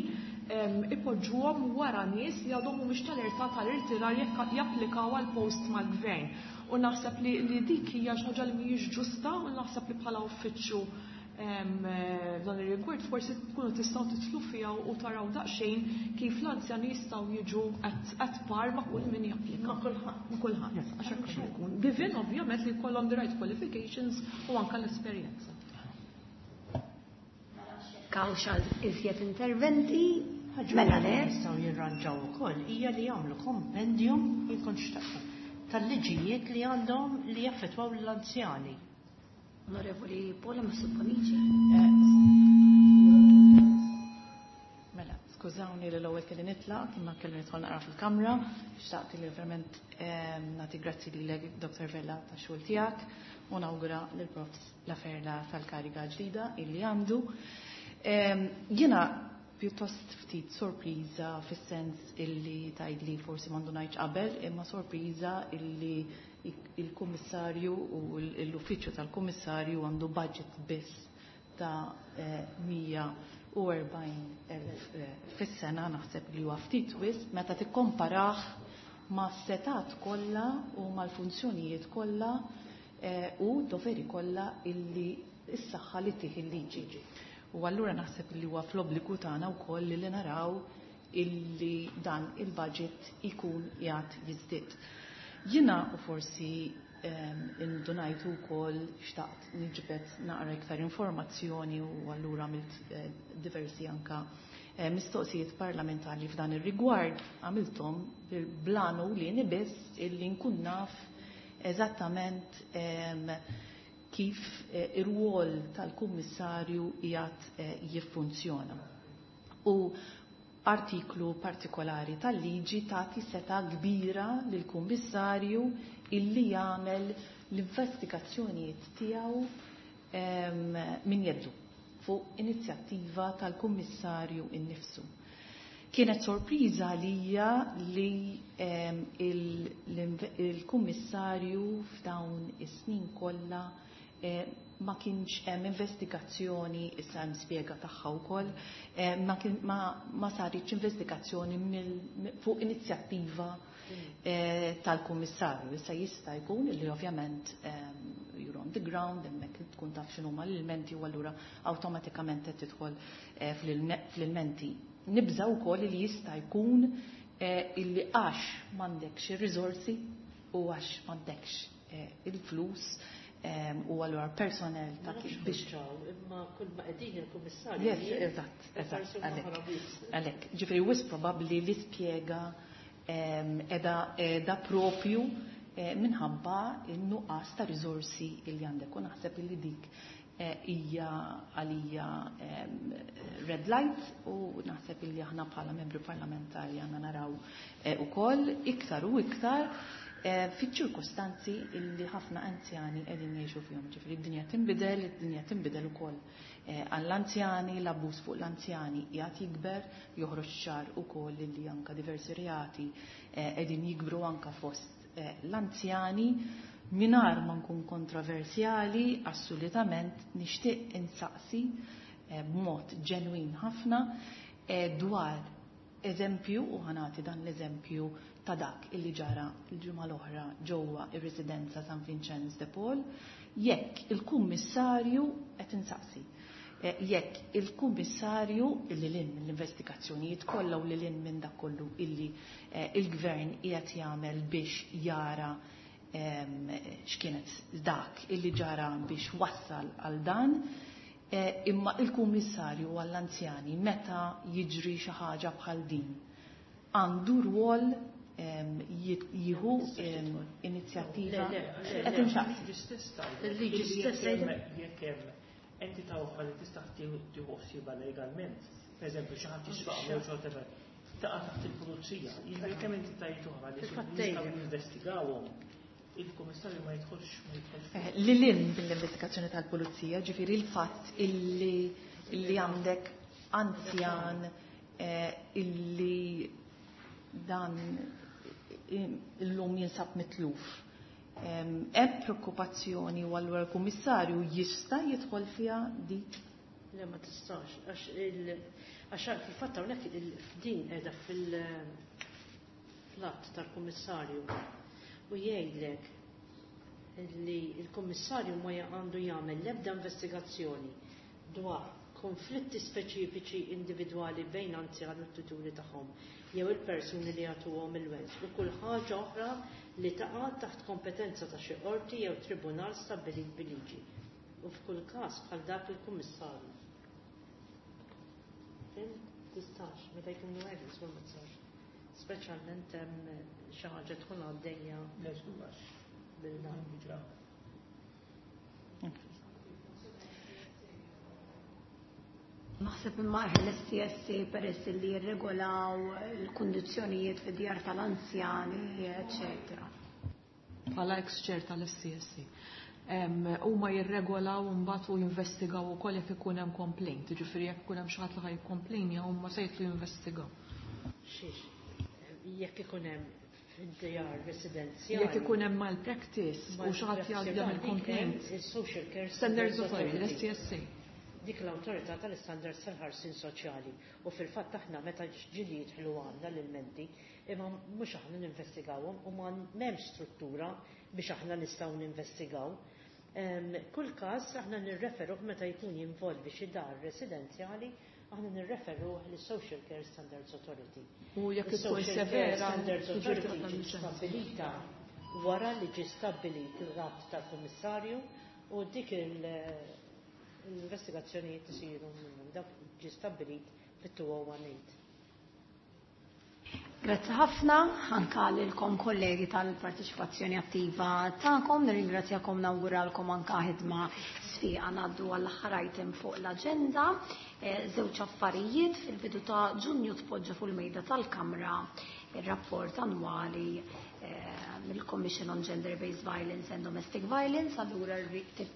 ipoġġuhom wara nies li għadhom mhumiex tal-età tal-irtirar jekk japplikaw għal post mal-gvern. U naħseb li dik hija xi ħaġa li mhijiex ġusta u naħseb li bħala uffiċċju f'dan ir-rigward forsi tkunu tistgħu titlu fiha u taraw daqsxejn kif l-anzjani jistgħu jiġu at par ma' kull min japplika. Ma' kulħadd. Ma' kulħadd. Għax hekk jkun. Given ovvjament li jkollhom the right qualifications u anke l-esperjenza. Kawxa iżjed interventi, mela le. Jistgħu jirranġaw ukoll hija li jagħmlu kompendium jkun xtaqqa tal-liġijiet li għandhom li jaffettwaw l-anzjani. Onorevoli Paola Mifsud Bonnici. Mela, skużawni li l-ewwel kelli nitlaq, imma kelli nidħol naqra fil-kamra, xtaqt li verament nagħti grazzi lilek Dr. Vella tax-xogħol tiegħek u nawgura lil Prof Laferla tal-kariga ġdida illi għandu. Jiena pjuttost ftit sorpriża fis-sens illi tgħidli forsi m'għandu ngħidx qabel, imma sorpriża illi il-kummissarju u l-uffiċċju tal-kummissarju għandu budget biss ta' 140,000 fis-sena, naħseb li huwa ftit wisq meta tikkomparah ma' setat kollha u mal-funzjonijiet kollha u doveri kollha illi s-saħħa li tih il-liġi. U allura naħseb li huwa fl-obbligu tagħna wkoll li naraw illi dan il-budget ikun qiegħed jiżdied. Jiena u forsi indunajtu wkoll xtaqt niġbed naqra iktar informazzjoni u allura għamilt diversi anka mistoqsijiet parlamentari f'dan ir-rigward, għamilthom bil-blanu li biss illi nkun naf eżattament kif ir-rwol tal-kummissarju qiegħed jiffunzjona. U artiklu partikolari tal-liġi tagħti seta' kbira lill-kummissarju illi jagħmel l-investigazzjonijiet tiegħu min jeddu fuq inizjattiva tal-kummissarju innifsu. Kienet sorpriża għalija li il-kummissarju f'dawn is-snin kollha ma kienx hemm investigazzjoni, issa hemm spjega tagħha wkoll, ma saritx investigazzjoni fuq inizjattiva tal-kummissarju. Issa jista' jkun li ovvjament you're on the ground, hemmhekk tkun taf x'inhuma l-ilmenti u allura awtomatikament qed tidħol fl-ilmenti. Nibża' wkoll li jista' jkun illi għax m'għandekx ir-riżorsi u għax m'għandekx il-flus u allura personnel ta' kif biex imma kull ma qegħdin il-kummissarju. Yes, eżatt, eżatt, għalhekk. Ġifieri wis probabbli li spjega edha propju minħabba n-nuqqas ta' riżorsi li għandek, u naħseb li dik hija għalija red light, u naħseb li aħna bħala membri parlamentari għandna naraw ukoll iktar u iktar fiċ-ċirkustanzi illi ħafna anzjani qegħdin jgħixu fihom. Ġifieri d-dinja tinbidel, id-dinja tinbidel ukoll għall-anzjani, l-abbuż fuq l-anzjani qiegħed jikber, joħroġ ċar ukoll illi anka diversi reati qegħdin jikbru anka fost l-anzjani. Mingħajr ma nkun kontroversjali, assolutament nixtieq insaqsi b'mod ġenwin ħafna dwar eżempju, u ħanati dan l-eżempju ta' dak illi ġara l-ġimgħa l-oħra ġewwa ir-residenza San Vincenz de Paul, jekk il-kummissarju qed insaqsi, jekk il-kummissarju illi lin mill-investigazzjonijiet kollha u li lin minn dak kollu illi il-gvern qiegħed jagħmel biex jara x'kienet dak illi ġara biex wassal għal dan, imma il-kummissarju għall-anzjani meta jiġri xi ħaġa bħal din għandu rwol jieħu inizjattiva. Qed insaqsi. Il-liġi stess jekk hemm entità oħra li tista' tieħu ħsiebha legalment, pereżempju xi ħadd jisraq jew xi whatever, taqa' taħt il-pulizija. Jiġifieri kemm entitajiet oħra li jistgħu jinvestigawhom, il-kummissarju ma jidħolx, ma jidħolx. Li lin bil-investigazzjoni tal-pulizija, ġifieri il-fatt illi għandek anzjan illi dan illum jinsab mitluf. Hemm preokkupazzjoni u allura l-kummissarju jista' jidħol fiha dik? Le, ma tistax, għax fil-fatt hawnhekk f'din qiegħda fil-att tal-kummissarju u jgħidlek li l-kummissarju ma għandu jagħmel l-ebda investigazzjoni dwar konflitti speċifiċi individwali bejn anzjan u t-tuturi tagħhom jew il-persuni li jagħtuhom il-wens u kull ħaġa oħra li taqa' taħt kompetenza ta' xi qorti jew tribunal stabbilit bil-liġi u f'kull każ bħal dak il-kummissarju. Fim? Tistax, meta jkunu hekk żgur ma tistax. Speċjalment hemm xi ħaġa tkun għaddejja bil-dan. Naħseb imma l-SCSA peress li jirregolaw il-kundizzjonijiet fid-djar tal-anzjani, eċetera. Bħala ex-chair tal-SCSA. Huma jirregolaw mbagħad u jinvestigaw ukoll jekk ikun hemm complaint, jiġifieri jekk ikun hemm xi ħadd li ħaj jikkomplejnja huma se jitlu jinvestigaw. Xiex, jekk ikun hemm fid-djar residenzjali. Jekk ikun hemm malpractice u xi ħadd jgħaddi jagħmel complaint. Il-Social Care Standards Authority, Authority. l-SCSA. Dik l-awtorità tal-istandards tal-ħarsien soċjali u fil-fatt aħna meta ġili jidħlu għandna l-ilmenti imma mhux aħna ninvestigawhom u ma m'hemmx struttura biex aħna nistgħu ninvestigaw. Kull każ aħna nirreferuh meta jkun jinvolvi xi dar residenzjali, aħna nirreferuh lis Social Care Standards Authority. U jekk ikun Social Care severa, Standards tiġi Authority tirata ġiet liċenzja. stabbilita wara li ġie stabbilit il-rat tal-Kummissarju u dik l-investigazzjonijiet isiru minnhom, dak ġie stabbilit fit-2018. Grazzi ħafna anka lilkom kollegi tal-parteċipazzjoni attiva tagħkom, nirringrazzjakom, nawguralkom anka ħidma sfiqa. Ngħaddu għall-aħħar item fuq l-aġenda. Żewġ affarijiet fil-bidu ta' Ġunju tpoġġa fuq il-mejda tal-Kamra ir-rapport annwali mill-Commission on Gender-Based Violence and Domestic Violence, allura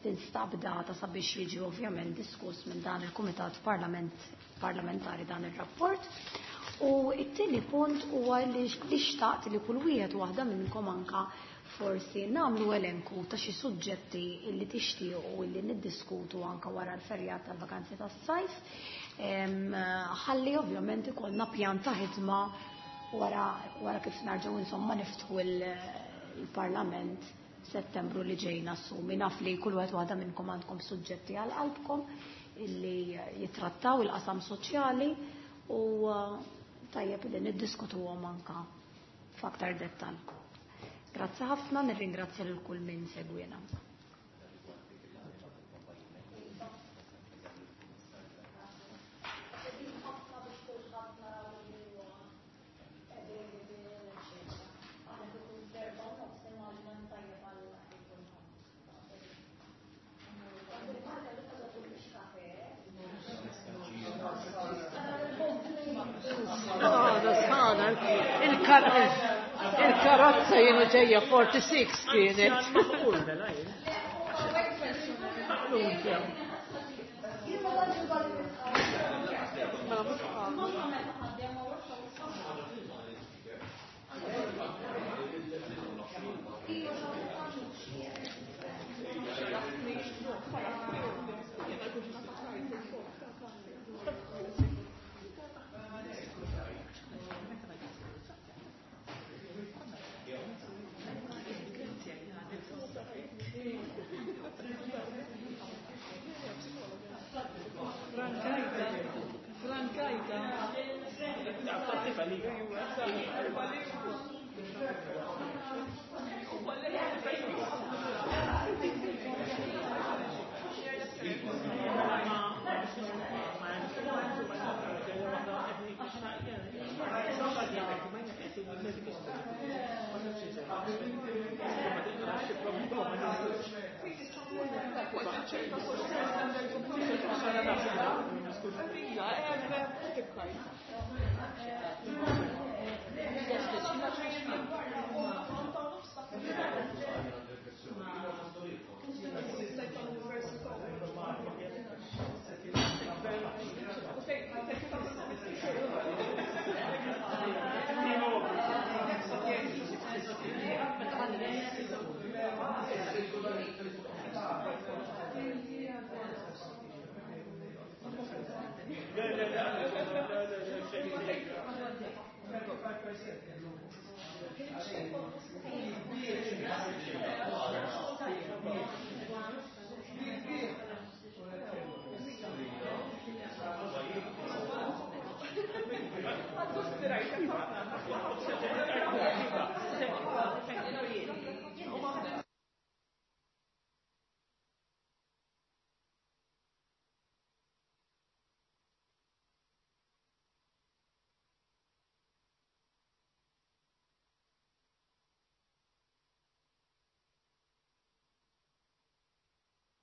tinstab data sabiex jiġi ovvjament diskuss minn dan il-Kumitat Parlamentari dan ir-rapport. U it-tieni punt huwa li xtaqt li kull wieħed waħda minnkom anka forsi nagħmlu elenku ta' xi suġġetti li tixtiequ li niddiskutu anka wara l-ferjat tal-vakanzi tas-sajf. Ħalli ovvjament ikollna pjan ta' ħidma wara kif narġgħu niftħu il-Parlament Settembru li ġejna assumi. Naf li kull wieħed waħda minnkom għandkom suġġetti għal qalbkom illi jitrattaw il-qasam soċjali u tajjeb li niddiskutuhom anka f'aktar dettall. Grazzi ħafna, nirringrazzja lil kull min segwina. Il-karozza jienu ġejja 46 kienet.